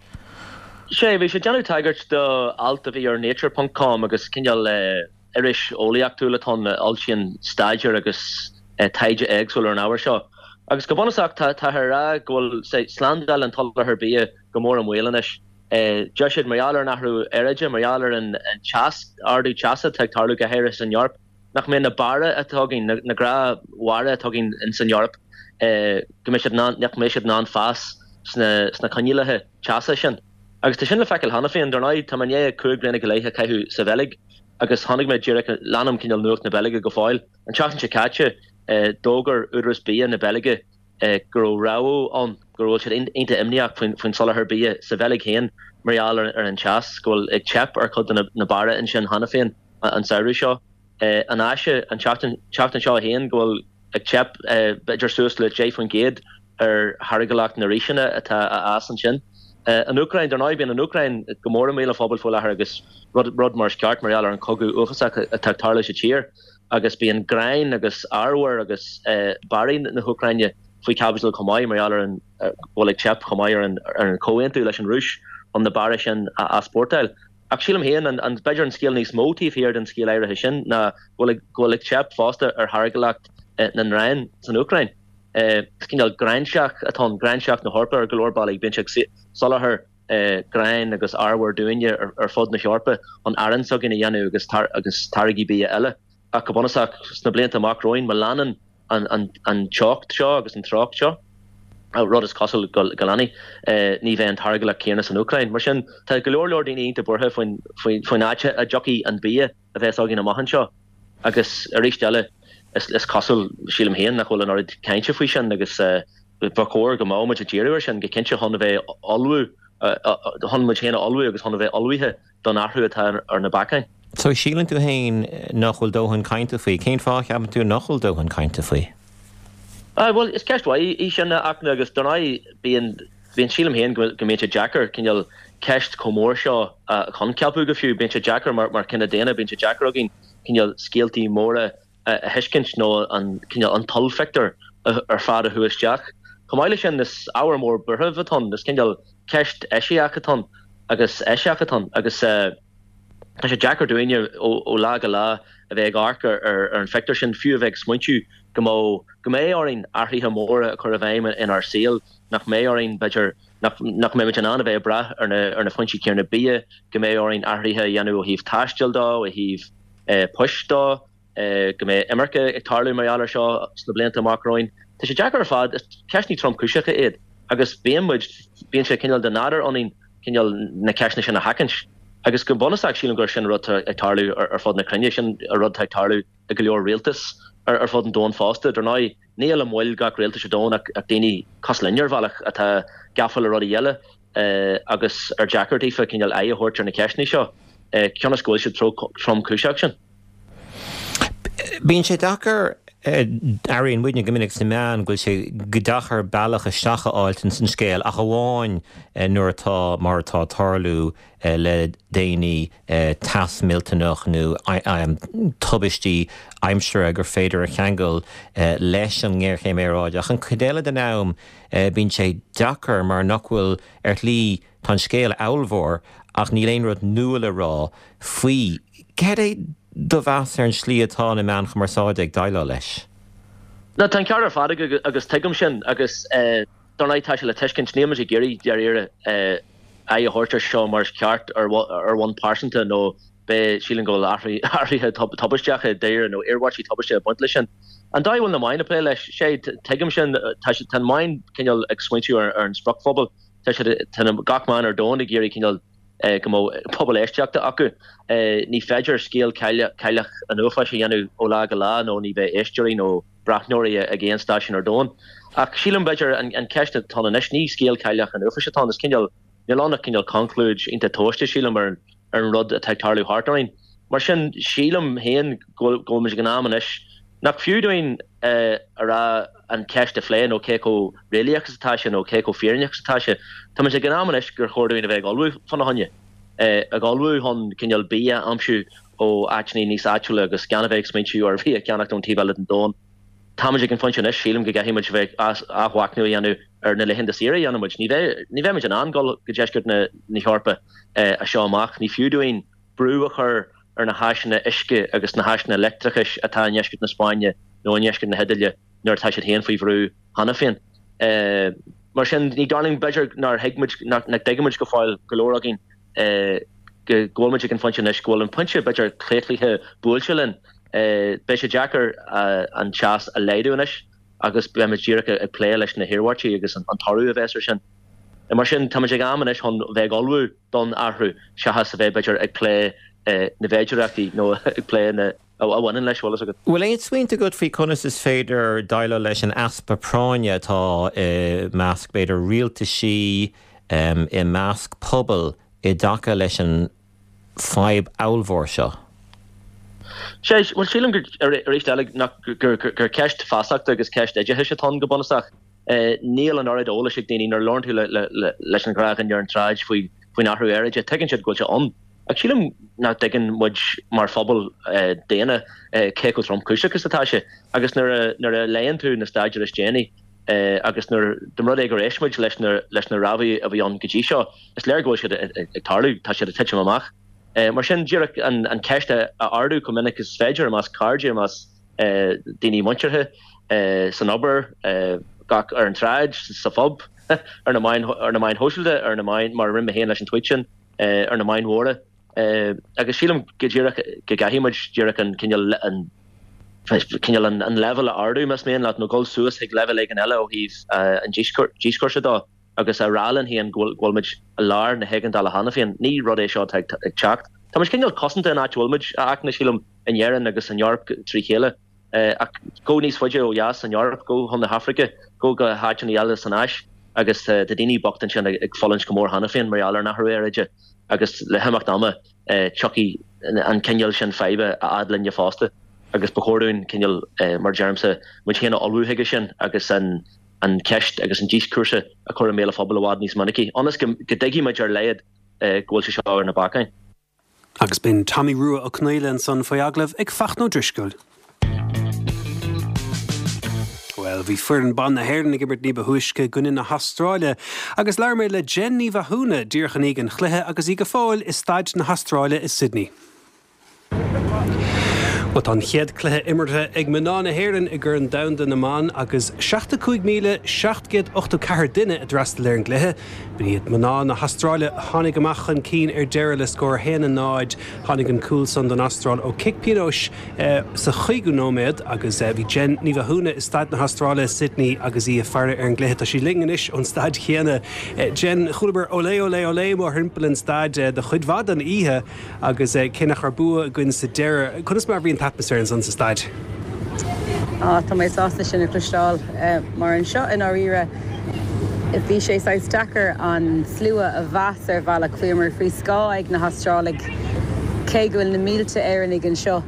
Sea, bhí sé ag déanamh tagairt do alt a bhí ar Nature ponc com agus cineál iris eolaíochtúil atá ann a fhoilsíonn staidéir agus taighde éagsúil ar an ábhar seo. Agus go bunúsach tá táthar ag rá go bhfuil slándáil an tsoláthair bia go mór i mbaol anois. Deir siad mar gheall ar an athrú aeráide, mar gheall ar an teas, ardú teasa atá ag tarlú go háirithe san Eoraip, nach mbeidh na barra atá againn, na gnáthbharra atá againn ins an Eoraip, go mbeidh siad in ann, nach mbeidh siad in ann fás sna sna coinníollacha teasa sin. Agus tá sin le feiceáil cheana féin. Dar ndóigh, tá mé i ndiaidh cúig bliana go leith a chaitheamh sa Bheilg agus chonaic mé díreach, leanaim cineál nuacht na Beilge go fóill. An tseachtain seo caite, d'fhógair Údarás Bia na Beilge go raibh rabhadh ann go bhfuil siad iontach imníoch faoin soláthar bia sa Bheilg féin mar gheall ar an teas, go bhfuil ag teip ar chuid de na barra ansin cheana féin an samhradh seo. An Áise an tseachtain seo féin go bhfuil ag teip b'fhéidir suas le deich faoin gcéad ar tháirgiúlacht na ríseanna atá á fhás ansin. An Úcráin, dar ndóigh, bíonn an Úcráin go mór i mbéal an phobail faoi láthair agus rud mar is ceart mar gheall ar an chogadh uafásach atá ag tarlú sa tír. Agus bíonn gráin agus arbhar agus barraí na hÚcráine faoi chaibidil chomh maith mar gheall ar an go bhfuil ag teip chomh maith ar an ar an chomhaontú leis an Rúis chun na barra sin a easpórtáil. Ach sílim féin, an an b'fhéidir an scéal níos mó taobh thiar den scéal áirithe sin ná go bhfuil go bhfuil ag teip fosta ar tháirgiúlacht na ngrán san Úcráin. Is cineál gráinseach atá ann, gráinseach na hEorpa ar go leor bealaí. Bíonn sé ag soláthar gráin agus arbhar dúinne ar fud na hEorpa chun arán s'againn a dhéanamh agus agus táirgí bia eile. Ach go bunúsach, sna blianta amach romhainn, má leanann an teocht seo agus an treocht seo, rud is cosúil go leanfaidh, ní bheidh an táirgiúlacht céanna san Úcráin. Mar sin, tá go leor leor daoine iontach buartha faoin áit a dtiocfaidh an bia a bheas againn amach anseo. Agus arís eile, is cosúil, sílim féin, nach bhfuil an oiread cainte faoi sin agus ba chóir go mbeadh muid ag díriú air sin go cinnte chun a bheith ullmhú, chun muid féin a ullmhú agus chun a bheith ullmhaithe don athrú atá ar na bacáin. So síleann tú féin nach bhfuil dóthain cainte faoi. Cén fáth a cheapann tú nach bhfuil dóthain cainte faoi? Ah, bhuel, is ceist mhaith í sin, a Fhachtna, agus dar ndóigh bíonn, bíonn, sílim féin go go mbíonn sé deacair cineál ceist chomh mór seo a choincheapú go fiú. Bíonn sé deacair mar, mar chine daonna, bíonn sé deacair againn cineál scéaltaí móra a thuiscint nó an cineál, an t-ollphictiúr ar fad a shú isteach. Chomh maith leis sin, is ábhar mór buairimh atá ann, is cineál ceist eisiach atá ann agus eisiach atá ann agus tá sé deacair dúinne ó lá go lá a bheith ag amharc ar an phictiúr sin, fiú a bheith ag smaointiú go mbeadh, go mbeidh orainn athruithe móra a chur i bhfeidhm inár saol, nach mbeidh orainn, b'fhéidir, nach nach mbeimid in ann a bheith ag brath ar na ar na foinsí céanna bia, go mbeidh orainn athruithe a dhéanamh ó thaobh taistil de, ó thaobh poist de. go mbeidh imirce ag tarlú mar gheall air seo sna blianta amach romhainn. Tá sé deacair ar fad, is ceisteanna tromchúiseacha iad agus bíonn muid, bíonn sé cineál de nádúr ionainn cineál na ceisteanna sin a sheachaint. Agus go bunúsach sílim gur sin rud atá ag tarlú ar fud na cruinne, sin an rud atá ag tarlú i go leor rialtas ar fud an domhain fosta. Dar ndóigh, níl i mbaill gach rialtais ar domhan ach daoine cosúil linn ar bhealach atá gafa le rudaí eile agus ar deacair daofa cineál aghaidh a thabhairt ar na ceisteanna seo cionn is go bhfuil siad tromchúiseach sin. Bíonn sé deacair Airíonn muidne go minic sna meáin go bhfuil sé go deacair bealach isteach a fháilt ins an scéal ach amháin nuair atá, mar atá ag tarlú le déanaí, teas millteanach nó tubaistí aimsire gur féidir a cheangal leis an ngéarchéim aeráide. Ach an chuid eile den am bíonn sé deacair mar nach bhfuil, ar shlí, tá an scéal ábhalmhór ach níl aon rud nua le rá faoi. Cad é do mheas ar an slí atá na meáin chumarsáide ag déileáil leis? No, tá an ceart ar fad agat agus tuigim sin agus dar ndóigh tá sé le tuiscint, níl muid ag iarraidh dáiríre aghaidh a thabhairt ar seo mar is ceart ar bhonn pearsanta nó beidh, sílim go bhfuil athruithe tubaisteacha dáiríre nó iarmhairtí tubaiste ag baint leis sin. An dóigh a bhfuil na meáin ag plé leis, sé, tuigim sin, tá tá na meáin cineál ag smaointiú ar an spriocphobal, tá siad, tá gach meán ar domhan ag iarraidh cineál go mbeadh pobal éisteachta acu. Ní féidir scéal Cailleach an Uafáis a dhéanamh ó lá go lá nó ní bheidh éisteoirí nó breathnóirí ag aon stáisiún ar domhan. Ach sílim, b'fhéidir, an cheist atá ann anois, ní scéal Cailleach an Uafáis atá ann, is cineál, níl ann ach cineál conclúid iontach tomhaiste, sílim, ar an rud atá ag tarlú thart orainn. Mar sin, sílim féin go bhfuil muid ag an am anois nach fiú dúinn a rá an cheist a phlé nó cé chomh réalaíoch is atá sé nó cé chomh fírinneach is atá sé. Tá muid ag an am anois gur chóir dúinn a bheith ag ullmhú fána choinne, ag ullmhú chun cineál bia a aimsiú ó áiteanna níos áitiúla agus gan a bheith ag smaointiú ar bhia a cheannacht ón taobh eile den domhan. Tá muid ag an phointe anois, sílim, go gcaithfidh muid a bheith athmhachnamh a dhéanamh ar na laethanta saoire a dhéanann muid. Ní bheidh, ní bheidh muid in ann dul go deisceart na hEorpa as seo amach. Ní fiú dúinn brú a chur ar na háiseanna uisce agus na háiseanna leictreachais atá i ndeisceart na Spáinne nó i ndeisceart na hIodáile nuair atá siad féin faoi bhrú cheana féin. Mar sin, ní dóigh liom, b'fhéidir nár thuig muid, nach dtuigeann muid go fóill, go leor againn, go bhfuil muid ag an phointe anois, go bhfuil an pointe, b'fhéidir, claochlaithe buailte linn. Beidh sé deacair an teas a laghdú anois agus beidh muid díreach ag plé leis na hiarmhairtí agus an toradh a bheas air sin. Mar sin, tá muid ag am anois chun bheith ag ullmhú don athrú seachas a bheith, b'fhéidir, ag plé na bhféidearthachtaí nó ag plé na a bhaineann leis, bhfuil fhios agat. Bhfuil aon smaointe agat faoi conas is féidir déileáil leis an easpa práinne atá i measc, b'fhéidir, rialtaisí, i measc pobal i dtaca leis an fadhb ollmhór seo? Sea, bhuel, sílim gur, arís eile, nach, gur, gur ceist feasachta agus ceist oideachais atá ann go bunúsach. Níl an oiread eolais ag daoine nuair a labhrann tú leis an ghnáthdhuine ar an tsráid faoi, faoin athrú aeráide, tuigeann siad go bhfuil sé ann. Ach sílim nach dtuigeann muid mar phobal daonna cé chomh tromchúiseach is atá sé. Agus nuair a, nuair a léann tú na staidéir is déanaí agus nuair, dá mba rud é gur éist muid leis na, leis na rabhaidh a bhí ann go dtí seo, is léir go bhfuil siad ag tarlú, tá siad ag titim amach. Mar sin, díreach an cheist a ardú chomh minic is féidir i measc cairde, i measc daoine muinteartha, san obair, gach, ar an tsráid, sa phub, ar na meáin, ar na meáin shóisialta, ar na meáin, mar a rinne mé féin leis an tweet sin, ar na meáin mhóra. Agus sílim go díreach go gcaithfidh muid díreach an cineál, an cineál an leibhéal a ardú, más mian leat, nó dul suas chuig leibhéal éigin eile ó thaobh an díoscúrsa dó. agus a rá linn féin go bhfuil muid i lár na héigeandála cheana féin. Ní rud é seo atá ag teacht. Tá muid cineál cosanta an áit a bhfuil muid, a Fhachtna, sílim, in Éirinn agus san Eoraip trí chéile. Ach gabh níos faide ó dheas san Eoraip, gabh chun na hAfraice, gabh go háiteanna eile san Áis agus tá daoine bochta ansin ag fulaingt go mór cheana féin mar gheall ar an athrú aeráide agus le himeacht ama tiocfaidh an cineál sin faidhbe a fhad linne fosta agus ba chóir dúinn cineál, mar a deirimse, muid féin a ullmhú chuige sin agus an an cheist agus an díoscúrsa a chur i mbéal an phobail i bhfad níos minicí, ionas go dtuigfidh muid ar a laghad go bhfuil sé seo ar na bacáin. Agus b'in Tommy Rua Ó Conghaile ansan faoi agallamh ag Fachtna Ó Drisceoil. Bhuel, bhí foireann ban na hÉireann ag imirt ní ba thúisce i gcoinne na hAstráile agus labhair mé le Jen Ní Mhathúna díreach i ndiaidh an chluiche agus í go fóill i staid na hAstráile i Sydney. Bhuel, tá an chéad cluiche imeartha ag mná na hÉireann i gCorn Domhanda na mBan agus seachtó cúig míle seacht gcéad ochtó ceathair duine a d'fhreastail ar an gcluiche. Ba iad mná na hAstráile a tháinig amach chun cinn ar deireadh le scór a haon a náid. Tháinig an cúl san don Astráil ó chic pionóis sa chúigiú nóiméad agus bhí Jen Ní Mhathúna i staid na hAstráile i Sydney agus í ag faire ar an gcluiche. Tá sí linn anois ón staid chéanna. Jen, chualamar olé olé olé mórthimpeall an staid do chuid mhaith den oíche. Agus cé nach raibh bua againn sa deireadh, conas mar a bhí an t-atmaisféar ansan sa staid? Á, tá mé sásta sin a chloisteáil, mar anseo i ndáiríre bhí sé saghas deacair an slua a mheas ar bhealach. Bhíomar faoi scáth ag na hAstrálaigh, cé go bhfuil na mílte Éireannaigh anseo.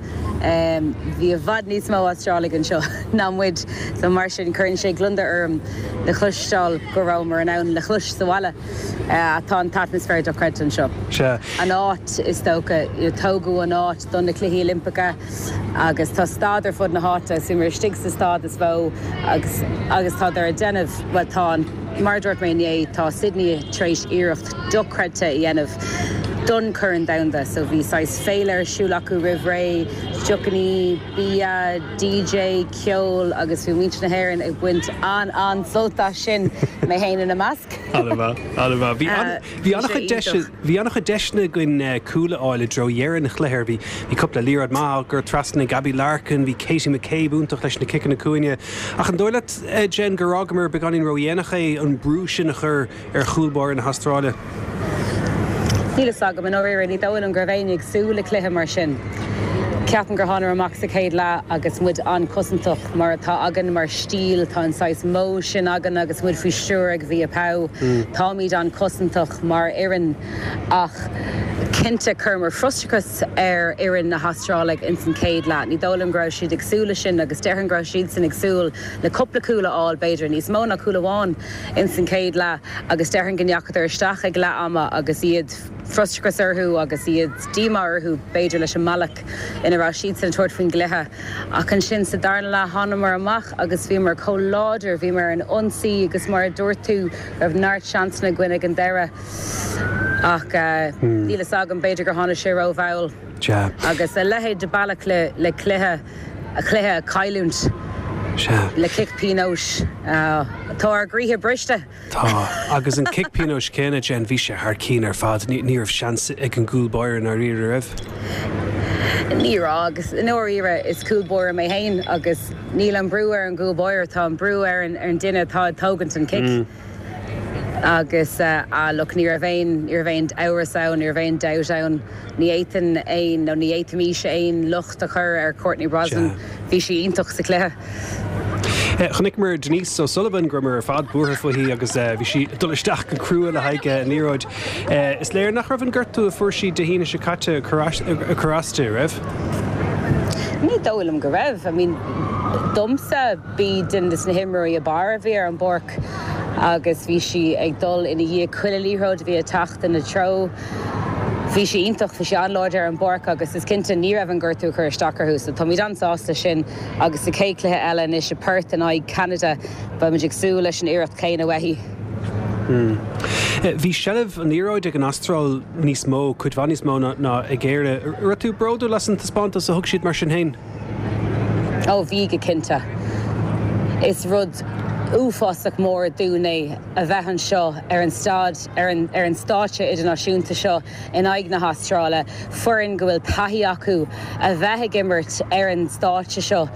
Bhí i bhfad níos mó Astrálaigh anseo ná muid, so mar sin cuireann sé gliondar orm le cloisteáil go rabhamar in ann le clois sa bhaile. Tá an t-atmaisféar dochreidte anseo. Sea. An áit, is dócha, tógadh an áit don na Cluichí Oilimpeacha agus tá staid ar fud na háite, so bhíomar istigh sa staid is mó agus agus tádar ag déanamh, bhuel tá an, mar a dúirt mé inné, tá Sydney tar éis iarracht dochreidte a dhéanamh. don Chorn Domhanda. So bhí saghas féile ar siúl acu roimh ré, deochannaí, bia, DJ, ceol agus bhí muintir na hÉireann ag baint an-an-sult as sin, mé féin ina measc. An-mhaith, an-mhaith. Bhí an, bhí an-chuid deis, bhí an-chuid deiseanna againn cúl a fháil i dtreo dheireadh an chluiche. Bhí, bhí cúpla liathróid maith á gcur trasna ag Abbie Larkin, bhí Katie McCabe iontach leis na ciceanna cúinne. Ach an dóigh leat, Jen, gur fhágamar beagáinín ródhéanach é an brú sin a chur ar chúl báire na hAstráile? Níl fhios agam, i ndáiríre, ní dóigh liom go raibh éinne ag súil le cluiche mar sin. Ceapaim gur thánamar amach sa chéad leath agus muid an-chosantach, mar atá againn mar stíl, tá an saghas modh sin againn agus muid faoi stiúir ag Mhia Powell. Táimid an-chosantach mar fhoireann ach cinnte chuireamar frustrachas ar fhoireann na hAstráile ins an chéad leath. Ní dóigh liom go raibh siad ag súil leis sin agus déarfainn go raibh siadsan ag súil le cúpla cúl a fháil, b'fhéidir níos mó ná cúl amháin ins an chéad leath agus déarfainn go ndeachadar isteach ag leath ama agus iad frustrachas orthu agus iad díomá orthu b'fhéidir leis an mbealach ina raibh siadsan ag tabhairt faoin gcluiche. Ach ansin sa darna leath thánamar amach agus bhíomar chomh láidir, bhíomar ar an ionsaí agus mar a dúirt tú raibh neart seansanna againn ag an deireadh. Ach níl fhios agam, b'fhéidir gur tháinig sé rómhall. Agus a leithéid de bealach le cluiche, cluiche a chailliúint le cic pionóis. Tá ár gcroíthe briste. Tá. Agus an cic pionóis céanna, Jen, bhí sé thar cinn ar fad. Ní raibh seans ag an gcúl báire i ndáiríre, raibh? Ní raibh, agus i ndáiríre is cúl báire mé féin agus níl an brú ar an gcúl báire, tá an brú ar an duine atá ag tógaint an cic. Agus ah look, ní raibh aon, ní raibh aon amhras ann, ní raibh aon dabht ann. Ní fhéadfainn aon, nó ní fhéadfaimis aon locht a chur ar Courtney Brosnan. Bhí sí iontach sa chluiche. Chonaiceamar Denise O'Sullivan, go rabhamar ar fad buartha fúithi agus bhí sí ag dul isteach go crua le haghaidh an liathróid. Is léir nach raibh an gortú a fuair sí Dé hAoine seo caite ag cur as di, raibh? Ní dóigh liom go raibh. I mean, domsa, b'í duine de na himreoirí ab fhearr a bhí ar an bpáirc agus bhí sí ag dul ina dhiaidh chuile liathróid a bhí ag teacht ina treo. Bhí sí iontach, bhí sí an-láidir ar an bpáirc agus is cinnte ní raibh an gortú ag cur isteach orthu so táimid an-sásta leis sin agus sa chéad chluiche eile anois i Perth in aghaidh Ceanada beimid ag súil leis an iarracht chéanna uaithi. Bhí seilbh an liathróid ag an Astráil níos mó, cuid mhaith níos mó ná ag Éire. Raibh tú bródúil as an taispeántas a thug siad mar sin féin? Ó bhí go cinnte. Is rud uafásach mór dúinn é a bheith anseo ar an staid, ar an, ar an stáitse idirnáisiúnta seo in aghaidh na hAstráile, foireann go bhfuil taithí acu a bheith ag imirt ar an stáitse seo.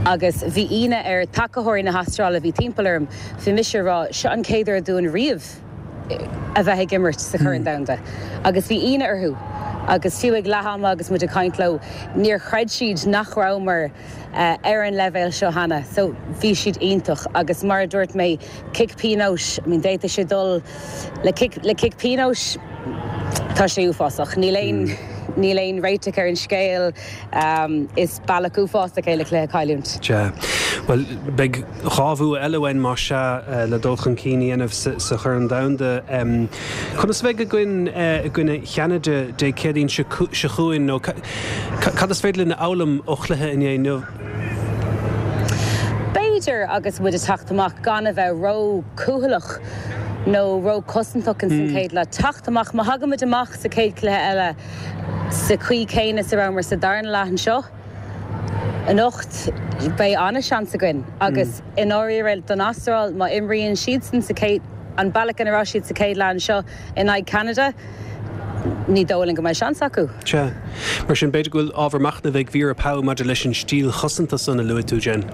Agus bhí ionadh ar tacaitheoirí na hAstráile a bhí timpeall orm, bhí mise ag rá, seo an chéad uair dúinn riamh a bheith ag imirt sa Chorn Domhanda. Agus bhí ionadh orthu. Agus fiú ag leath ama agus muid ag caint leo, níor chreid siad nach rabhamar ar an leibhéal seo cheana. So bhí siad iontach agus mar a dúirt mé, cic pionóis, I mean d'fhéadfadh sé dul le cic, le cic pionóis, tá sé uafásach. Níl aon, níl aon réiteach ar an scéal. Is bealach uafásach é le cluiche a chailliúint. Sea. Bhuel, beidh dhá bhua eile uainn, más ea, le dul chun cinn a dhéanamh sa Chorn Domhanda. Conas a bheidh againn i gcoinne Cheanada Dé Céadaoin seo chugainn nó cad is féidir linn a fhoghlaim ó chluiche inné inniu? B'fhéidir agus muid ag teacht amach gan a bheith ró-chúthaileach nó ró-chosantach ins an chéad leath. Teacht amach, má thagaimid amach sa chéad chluiche eile sa chaoi chéanna is a rabhamar sa darna leath anseo anocht, beidh an-seans againn. Agus i ndáiríre don Astráil, má imríonn siadsan sa chéad, an bealach ina raibh siad sa chéad leath anseo in aghaidh Ceanada, ní dóigh liom go mbeidh seans acu. Sea. Mar sin, b'fhéidir go bhfuil ábhar machnaimh ag Vera Pauw maidir leis an stíl chosanta san a luaigh tú, Jen.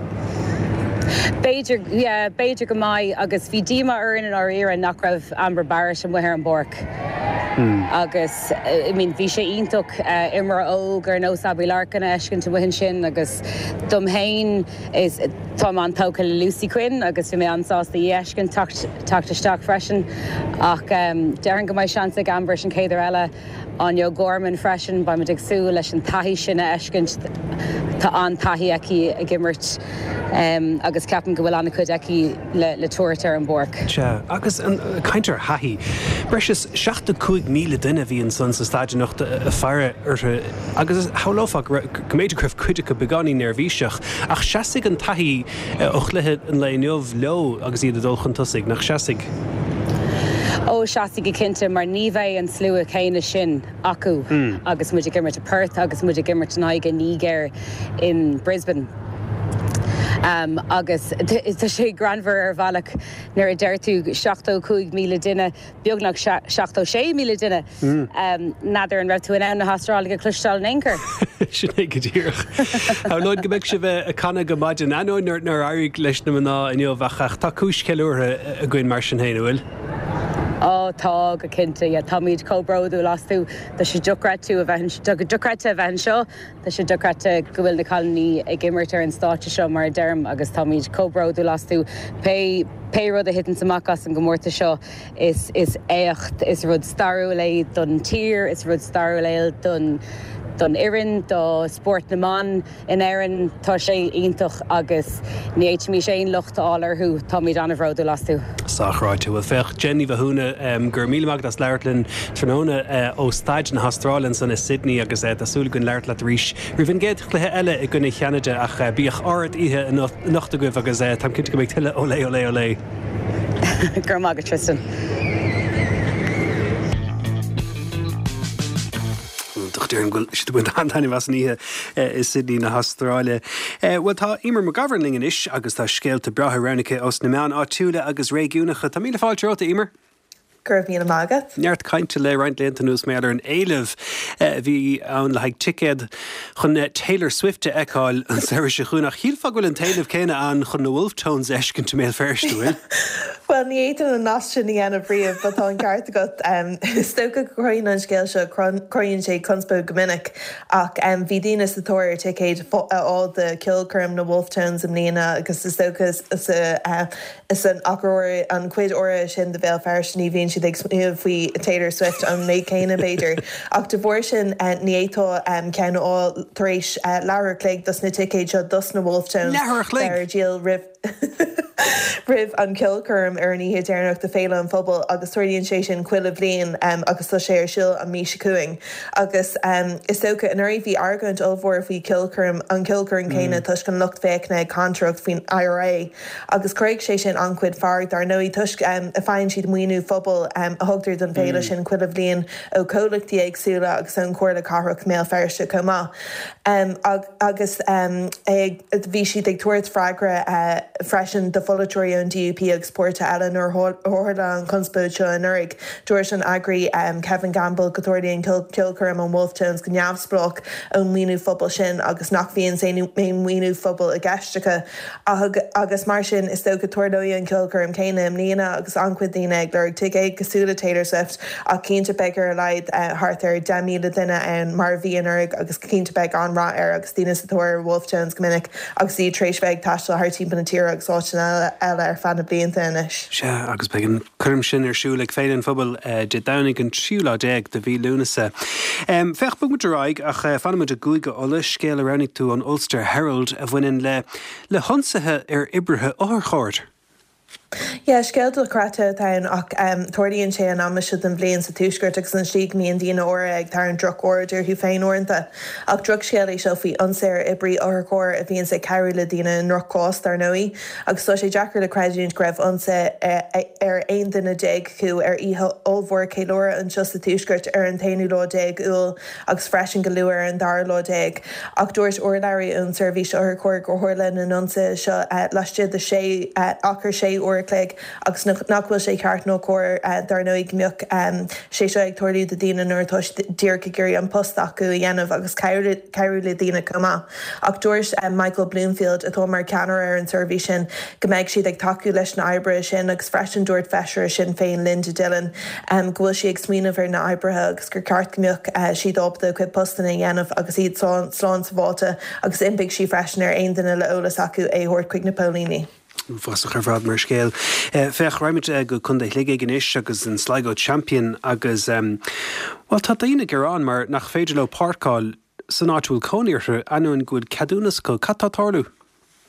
B'fhéidir, yeah, b'fhéidir go mbeidh agus bhí díomá orainn i ndáiríre nach raibh Amber Barrett amuigh ar an bpáirc agus I mean bhí sé iontach imreoir óg ar nós Abbie Larkin a fheiscint amuigh ansin agus dom féin is táim an-tógtha le Lucy Quinn agus bhí mé an-sásta í a fheiscint teacht teacht isteach freisin ach déarfainn go mbeidh seans ag Amber an chéad uair eile Áine O'Gorman freisin, beimid ag súil leis an taithí sin a fheiscint. Tá an-taithí aici ag imirt agus ceapaim go bhfuil an-chuid aici le tabhairt ar an bpáirc. Sea, agus caint ar thaithí, breis is seachtó cúig míle duine a bhí ansan sa staid anocht ag faire orthu agus shamhlófá go mb'fhéidir go raibh cuid acu beagáinín neirbhíseach, ach seasfaidh an taithí ó chluiche an lae inniu leo agus iad ag dul chun tosaigh, nach seasfaidh? Ó, seasfaidh go cinnte, mar ní bheidh an slua céanna sin acu agus muid ag imirt i Perth agus muid ag imirt in aghaidh an Nigéir in Brisbane. Agus tá sé greannmhar ar bhealach nuair a deir tú seachtó cúig míle duine, beagnach seachtó sé míle duine, n'fheadar an raibh tú in ann na hAstrálaigh a chloisteáil in aon chor. Sin é go díreach. Shamhlóinn go mbeidh sibh ag canadh go maidin, ainneoin nár éirigh leis na mná inniu, ach tá cúis cheiliúrtha againn mar sin féin, an bhfuil? Ó tá, go cinnte, yeah. Táimid chomh bródúil astu. Tá sé dochreidte a bheith, dochreidte a bheith anseo. Tá sé dochreidte go bhfuil na cailíní ag imirt ar an stáitse seo, mar a deirim, agus táimid chomh bródúil astu. Pé, pé rud a thiteanns amach as an gcomórtas seo, is, is éacht, is rud stairiúil é don tír, is rud stairiúil é don, don fhoireann, do spórt na mban in Éirinn. Tá sé iontach agus ní fhéadfaimis aon locht a fháil orthu. Táimid an-bhródúil astu. Sách ráite. Bhuel, féach, Jen Ní Mhathúna, go raibh míle maith agat as labhairt linn tráthnóna ó Staid na hAstráile ansan i Sydney agus tá súil againn labhairt leat arís roimh an gcéad chluiche eile i gcoinne Cheanada ach bíodh ard-oíche anocht agaibh agus táim cinnte go mbeidh tuilleadh olé olé olé. Go raibh maith agat, Tristan. Iontach, déarfainn go bhfuil siad ag baint an-taitneamh as an oíche i Sydney na hAstráile. Bhuel, tá Eimear McGovern linn anois agus tá scéalta breátha roghnaithe aici ós na meáin áitiúla agus réigiúnacha. Tá míle fáilte romhat, a Eimear. Go raibh míle maith agat. Neart cainte le roinnt laethanta anuas mar gheall ar an éileamh a bhí ann le haghaidh ticéad chun Taylor Swift a fheiceáil an samhradh seo chugainn ach shílfeá go bhfuil an t-éileamh céanna ann chun na Wolfe Tones a fheiscint i mBéal Feirste, an bhfuil? Bhuel, ní fhéadfainn an nasc sin a dhéanamh riamh, but tá an ceart agat. Is dócha go gcruthaíonn an scéal seo, cruthaíonn sé conspóid go minic, ach bhí daoine sa tóir ar ticéid a fháil do cheolchoirm na Wolfe Tones i mbliana agus is dócha sa san achar áirithe, an chuid áirithe sin de Bhéal Feirste, ní bhíonn siad ag smaoineamh faoi Taylor Swift an méid céanna, b'fhéidir. Ach de bharr sin, ní fhéadfá ceann a fháil tar éis leathuair a chloig dos na ticéid seo dos na Wolfe Tones Leathuair a chloig! bheith ar díol roimh roimh an cheolchoirm ar an oíche deireanach de Féile an Phobail agus tarlaíonn sé sin chuile bhliain agus tá sé ar siúl an mhí seo chugainn. Agus is dócha, anuraidh bhí argóint ollmhór faoi cheolchoirm an cheolchoirm céanna toisc an lucht féachana ag cantaireacht faoin I R A agus chruthaigh sé sin an-chuid fearg dar ndóigh toisc a faigheann siad maoiniú phobail a thugtar don bhféile sin chuile bhliain ó chomhlachtaí éagsúla agus ón Chomhairle Cathrach mBéal Feirste chomh maith. Agus bhí siad ag tabhairt freagra freisin do pholaiteoirí ón D U P agus páirtithe eile nuair a tharla an chonspóid seo anuraidh. Dúirt an eagraí Kevin Gamble go dtarlaíonn ceolchoirm an Wolfe Tones go neamhspleách ón maoiniú phobail sin agus nach bhíonn aon mhaoiniú phobail i gceist acu. Agus mar sin is dócha tarlóidh an ceolchoirm céanna i mbliana agus an-chuid daoine ag lorg ticéid cosúil le Taylor Swift ach cinnte beidh ar a laghad thart ar deich míle duine ann mar a bhí anuraidh agus cinnte beidh an-rath air agus daoine sa tóir ar Wolfe Tones go minic agus iad tar éis bheith ag taisteal thar timpeall na tíre agus áiteanna eile ar feadh na blianta anois. Sea, agus beidh an choirm sin ar siúl ag Féile an Phobail Dé Domhnaigh an tríú lá déag de mhí Lúnasa. Féach, bogfaidh muid ar aghaidh ach fanfaidh muid i gCúige Uladh, scéal a roghnaigh tú ón Ulster Herald a bhaineann le le hionsaithe ar oibrithe otharchairr. Yeah, scéal dochreidte atá ann ach tarlaíonn sé an am seo den bhliain sa tuaisceart agus an slí go mbíonn daoine áirithe ag tarraingt droch-aird orthu féin uaireanta. Ach drochscéal é seo faoi ionsaí ar oibrí otharchairr a bhíonns ag cabhrú le daoine i ndrochchás, dar ndóigh. Agus tá sé deacair le creidiúint go raibh ionsaí ar aon duine déag acu ar oíche ollmhór ceiliúradh anseo sa tuaisceart ar an t-aonú lá déag Iúil agus freisin go luath ar an dara lá déag. Ach dúirt urlabhraí ón seirbhís otharchairr gur tharla na n-ionsaithe seo laistigh de sé achar sé uair a chloig agus nach bhfuil sé ceart nó cóir dar ndóigh go mbeadh sé seo ag tarlú do daoine nuair atá siad díreach ag iarraidh an post acu a dhéanamh agus cabhrú le daoine chomh maith. Ach dúirt Michael Bloomfield atá mar cheannaire ar an seirbhís sin go mbeidh siad ag tacú leis na oibrithe sin agus freisin dúirt feisire Sinn Féin Linda Dillon go bhfuil sí ag smaoineamh ar na oibrithe agus gur ceart go mbeadh siad ábalta a gcuid postanna a dhéanamh agus iad slán sábháilte agus d'impigh sí freisin ar aon duine le eolas acu é a thabhairt chuig na póilíní. Uafásach ar fad mar scéal. Féach, raghaimid go Contae Shligigh anois agus an Sligo Champion agus, bhuel, tá daoine ag gearán mar nach féidir leo páirceáil san áit a bhfuil cónaí orthu, ainneoin go bhfuil ceadúnas acu. Cad tá ag tarlú?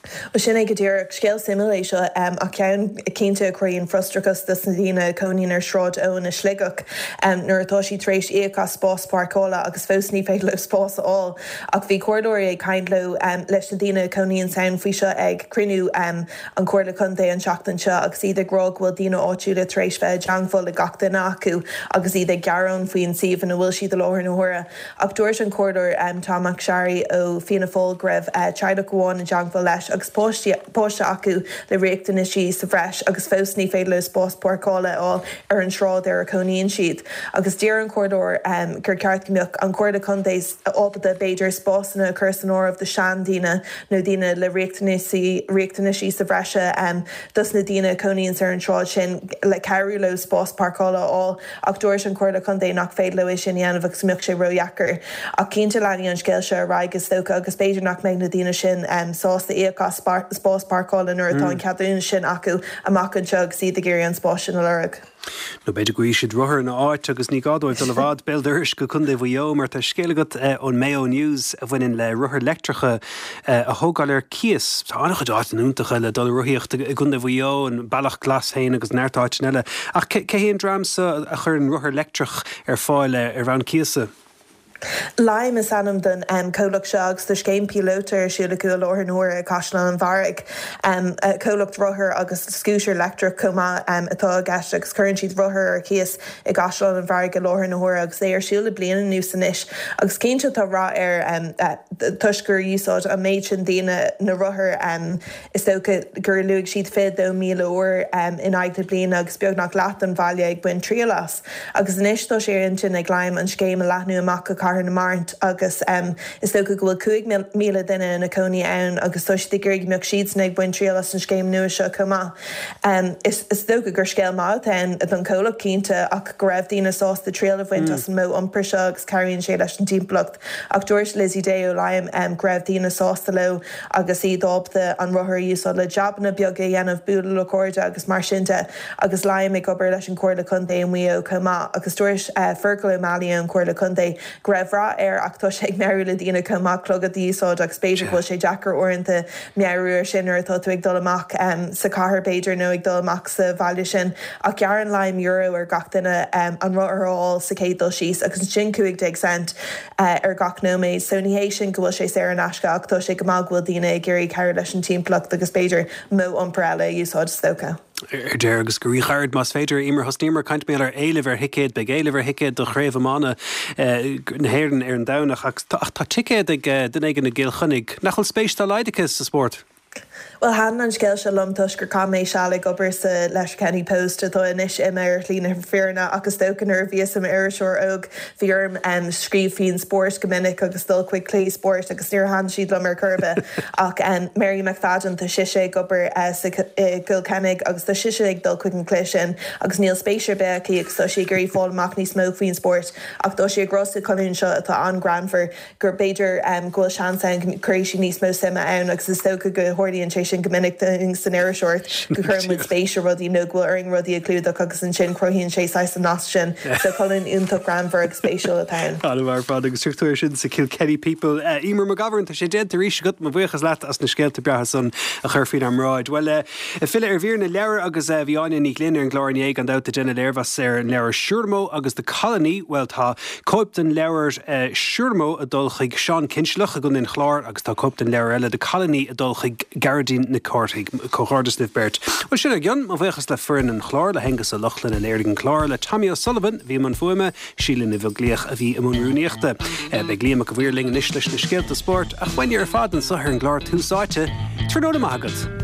Bhuel, sin é go díreach. Scéal suimiúil é seo, ach ceann cinnte a chruthaíonn frustrachas dos na daoine a chónaíonn ar Shráid Eoin i Sligeach nuair atá siad tar éis íoc as spás páirceála agus fós ní féidir leo spás a fháil. Ach bhí comhairleoirí ag caint leo leis na daoine a chónaíonn ann faoi seo ag cruinniú an Chomhairle Contae an tseachtain seo agus iad ag rá go bhfuil daoine áitiúla tar éis bheith i dteangmháil le gach duine acu agus iad ag gearán faoin suíomh ina bhfuil siad i láthair na huaire. Ach dúirt an Comhairleoir Tom McSharry ó Fianna Fáil go raibh teaghlach amháin i dteangmháil leis agus páiste acu le riachtanaisí sa bhreis agus fós ní féidir leo spás páirceála a fháil ar an sráid ar a cónaíonn siad. Agus d'iarr an Comhairleoir gur ceart go mbeadh an Chomhairle Contae ábalta b'fhéidir spásanna a chur san áireamh do seandaoine nó daoine le riachtanaisí riachtanaisí sa bhreise dos na daoine a cónaíonn ar an tsráid sin le cabhrú leo spás páirceála a fháil ach dúirt an Chomhairle Contae nach féidir leo é sin a dhéanamh agus go mbeadh sé ródheacair. Ach cinnte leanfaidh an scéal seo ar aghaidh is dócha agus b'fhéidir nach mbeidh na daoine sin sásta íoc as spás páirceála nuair atá an ceadúnas sin acu amach anseo agus iad ag iarraidh an spás sin a lorg. Nó b'fhéidir go bhfaighidh siad rothar ina áit agus ní gá dóibh dul i bhfad béal dorais go Contae Mhaigh Eo mar tá scéal agat ón Mayo News a bhaineann le rothair leictreacha a thógáil ar cíos. Tá an-chuid áiteanna iontacha le dul ag rothaíocht i gContae Mhaigh Eo, an Bealach Glas féin agus neart áiteanna eile. Ach cé hé an dream seo a chuireann rothar leictreach ar fáil ar bhonn cíosa? Lime is ainm don comhlacht seo agus tá scéim píolóta ar siúl acu i láthair na huaire i gCaisleán an Bharraigh. Comhlacht rothar agus scútar leictreach chomh maith atá i gceist agus cuireann siad rothair ar cíos i gCaisleán an Bharraigh i láthair na huaire agus é ar siúl le bliain anuas anois agus cinnte tá rath air toisc gur úsáid an méid sin daoine na rothair is dócha gur luaigh siad fiche dó míle uair in aghaidh na bliana agus beagnach leath den bhaile ag baint triail as. Agus anois tá sé ar intinn ag Lime an scéim a leathnú amach go Cathair na Mart agus is dócha go bhfuil cúig míle duine ina cónaí ann agus tá siad ag iarraidh go mbeadh siadsan ag baint triail as an scéim nua seo chomh maith. Is dócha gur scéal maith atá ann don chomhlacht cinnte ach go raibh daoine sásta triail a bhaint as an modh iompair seo agus cabhraíonn sé leis an timpeallacht. Ach dúirt Lizzie Day ó Lime go raibh daoine sásta leo agus iad ábalta an rothar a úsáid le jabanna beaga a dhéanamh, bualadh le cairde agus mar sin de agus Lime ag obair leis an Chomhairle Contae i Maigh Eo chomh maith agus dúirt Fergal O'Malley ón Chomhairle Contae go raibh rath air ach tá sé ag meabhrú le daoine chomh maith clogad a úsáid agus b'fhéidir go bhfuil sé deacair uaireanta meabhrú ar sin nuair atá tú ag dul amach sa chathair b'fhéidir nó ag dul amach sa bhaile sin ach gearrann Lime euro ar gach duine an rothar a fháil sa chéad dul síos agus ansin cúig déag cent ar gach nóiméad so ní hé sin go bhfuil sé saor in aisce ach tá sé go maith go bhfuil daoine ag iarraidh cabhrú leis an timpeallacht agus b'fhéidir modh iompair eile a úsáid is dócha. Ar deireadh agus go ríghairid más féidir, Emer, thosnaíomar ag caint ar éileamh ar thicéid, beidh éileamh ar thicéid do Chraobh Iomána na hÉireann ar an Domhnach ach tá ticéad ag duine éigin i gCill Chainnigh nach bhfuil spéis dá laghad aici sa spórt. Bhuel, thaitin an scéal seo liom toisc gur chaith mé seal ag obair sa Letterkenny Post atá anois imithe ar shlí na fírinne ach is dócha nuair a bhíos i m'iriseoir óg bhí orm scríobh faoin spórt go minic agus dul chuig cluichí spóirt agus níor thaitin siad liom ar chor ar bith ach Mary McFadden tá sise ag obair sa i gCill Chainnigh agus tá sise ag dul chuig an cluiche sin agus níl spéis ar bith aici agus tá sí ag iarraidh fáil amach níos mó faoin spórt ach tá sí ag rá sa cholún seo atá an-ghreannmhar gur b'fhéidir go bhfuil seans ann go gcuirfidh sí níos mó suime ann agus is dócha go tharlaíonn sé sin go minic dúinn san iriseoireacht go gcuireann muid spéis i rudaí nó go bhfuil orainn rudaí a chlúdach agus ansin cruthaíonn sé saghas an nasc sin. So colún iontach greannmhar agus spéisiúil atá ann. An-mhaith ar fad agus struchtúr sin sa Kilkenny People. Emer McGovern, tá sé déanta arís agat, mo bhuíochas leat as na scéalta breátha san a chur faoinár mbráid. Bhuel, ag filleadh ar mhír na leabhar agus bhí Áine Ní Ghlinn ar an gclár inné gan dabht ag déanamh léirmheas ar an leabhar Siúramó agus The Colony. Bhuel, tá cóip den leabhar Siúramó ag dul chuig Seán Cinnsealach i gContae an Chláir agus tá cóip den leabhar eile The Colony ag dul chuig Gearóidín Nic Cárthaigh. Comhghairdeas libh beirt. Bhuel, sin ár gcionn. Mo bhuíochas le foireann an chláir, le hAonghus Ó Lochlainn a léirigh an clár, le Tommy O'Sullivan a bhí i mbun fuaime, Síle Ní Bheaglaoich a bhí i mbun rúnaíochta. Beidh Liam Mac a' Mhaoir linn anois leis na scéalta spóirt, ach uainne ar fad anseo ar an gclár Tús Áite. Tráthnóna maith agat.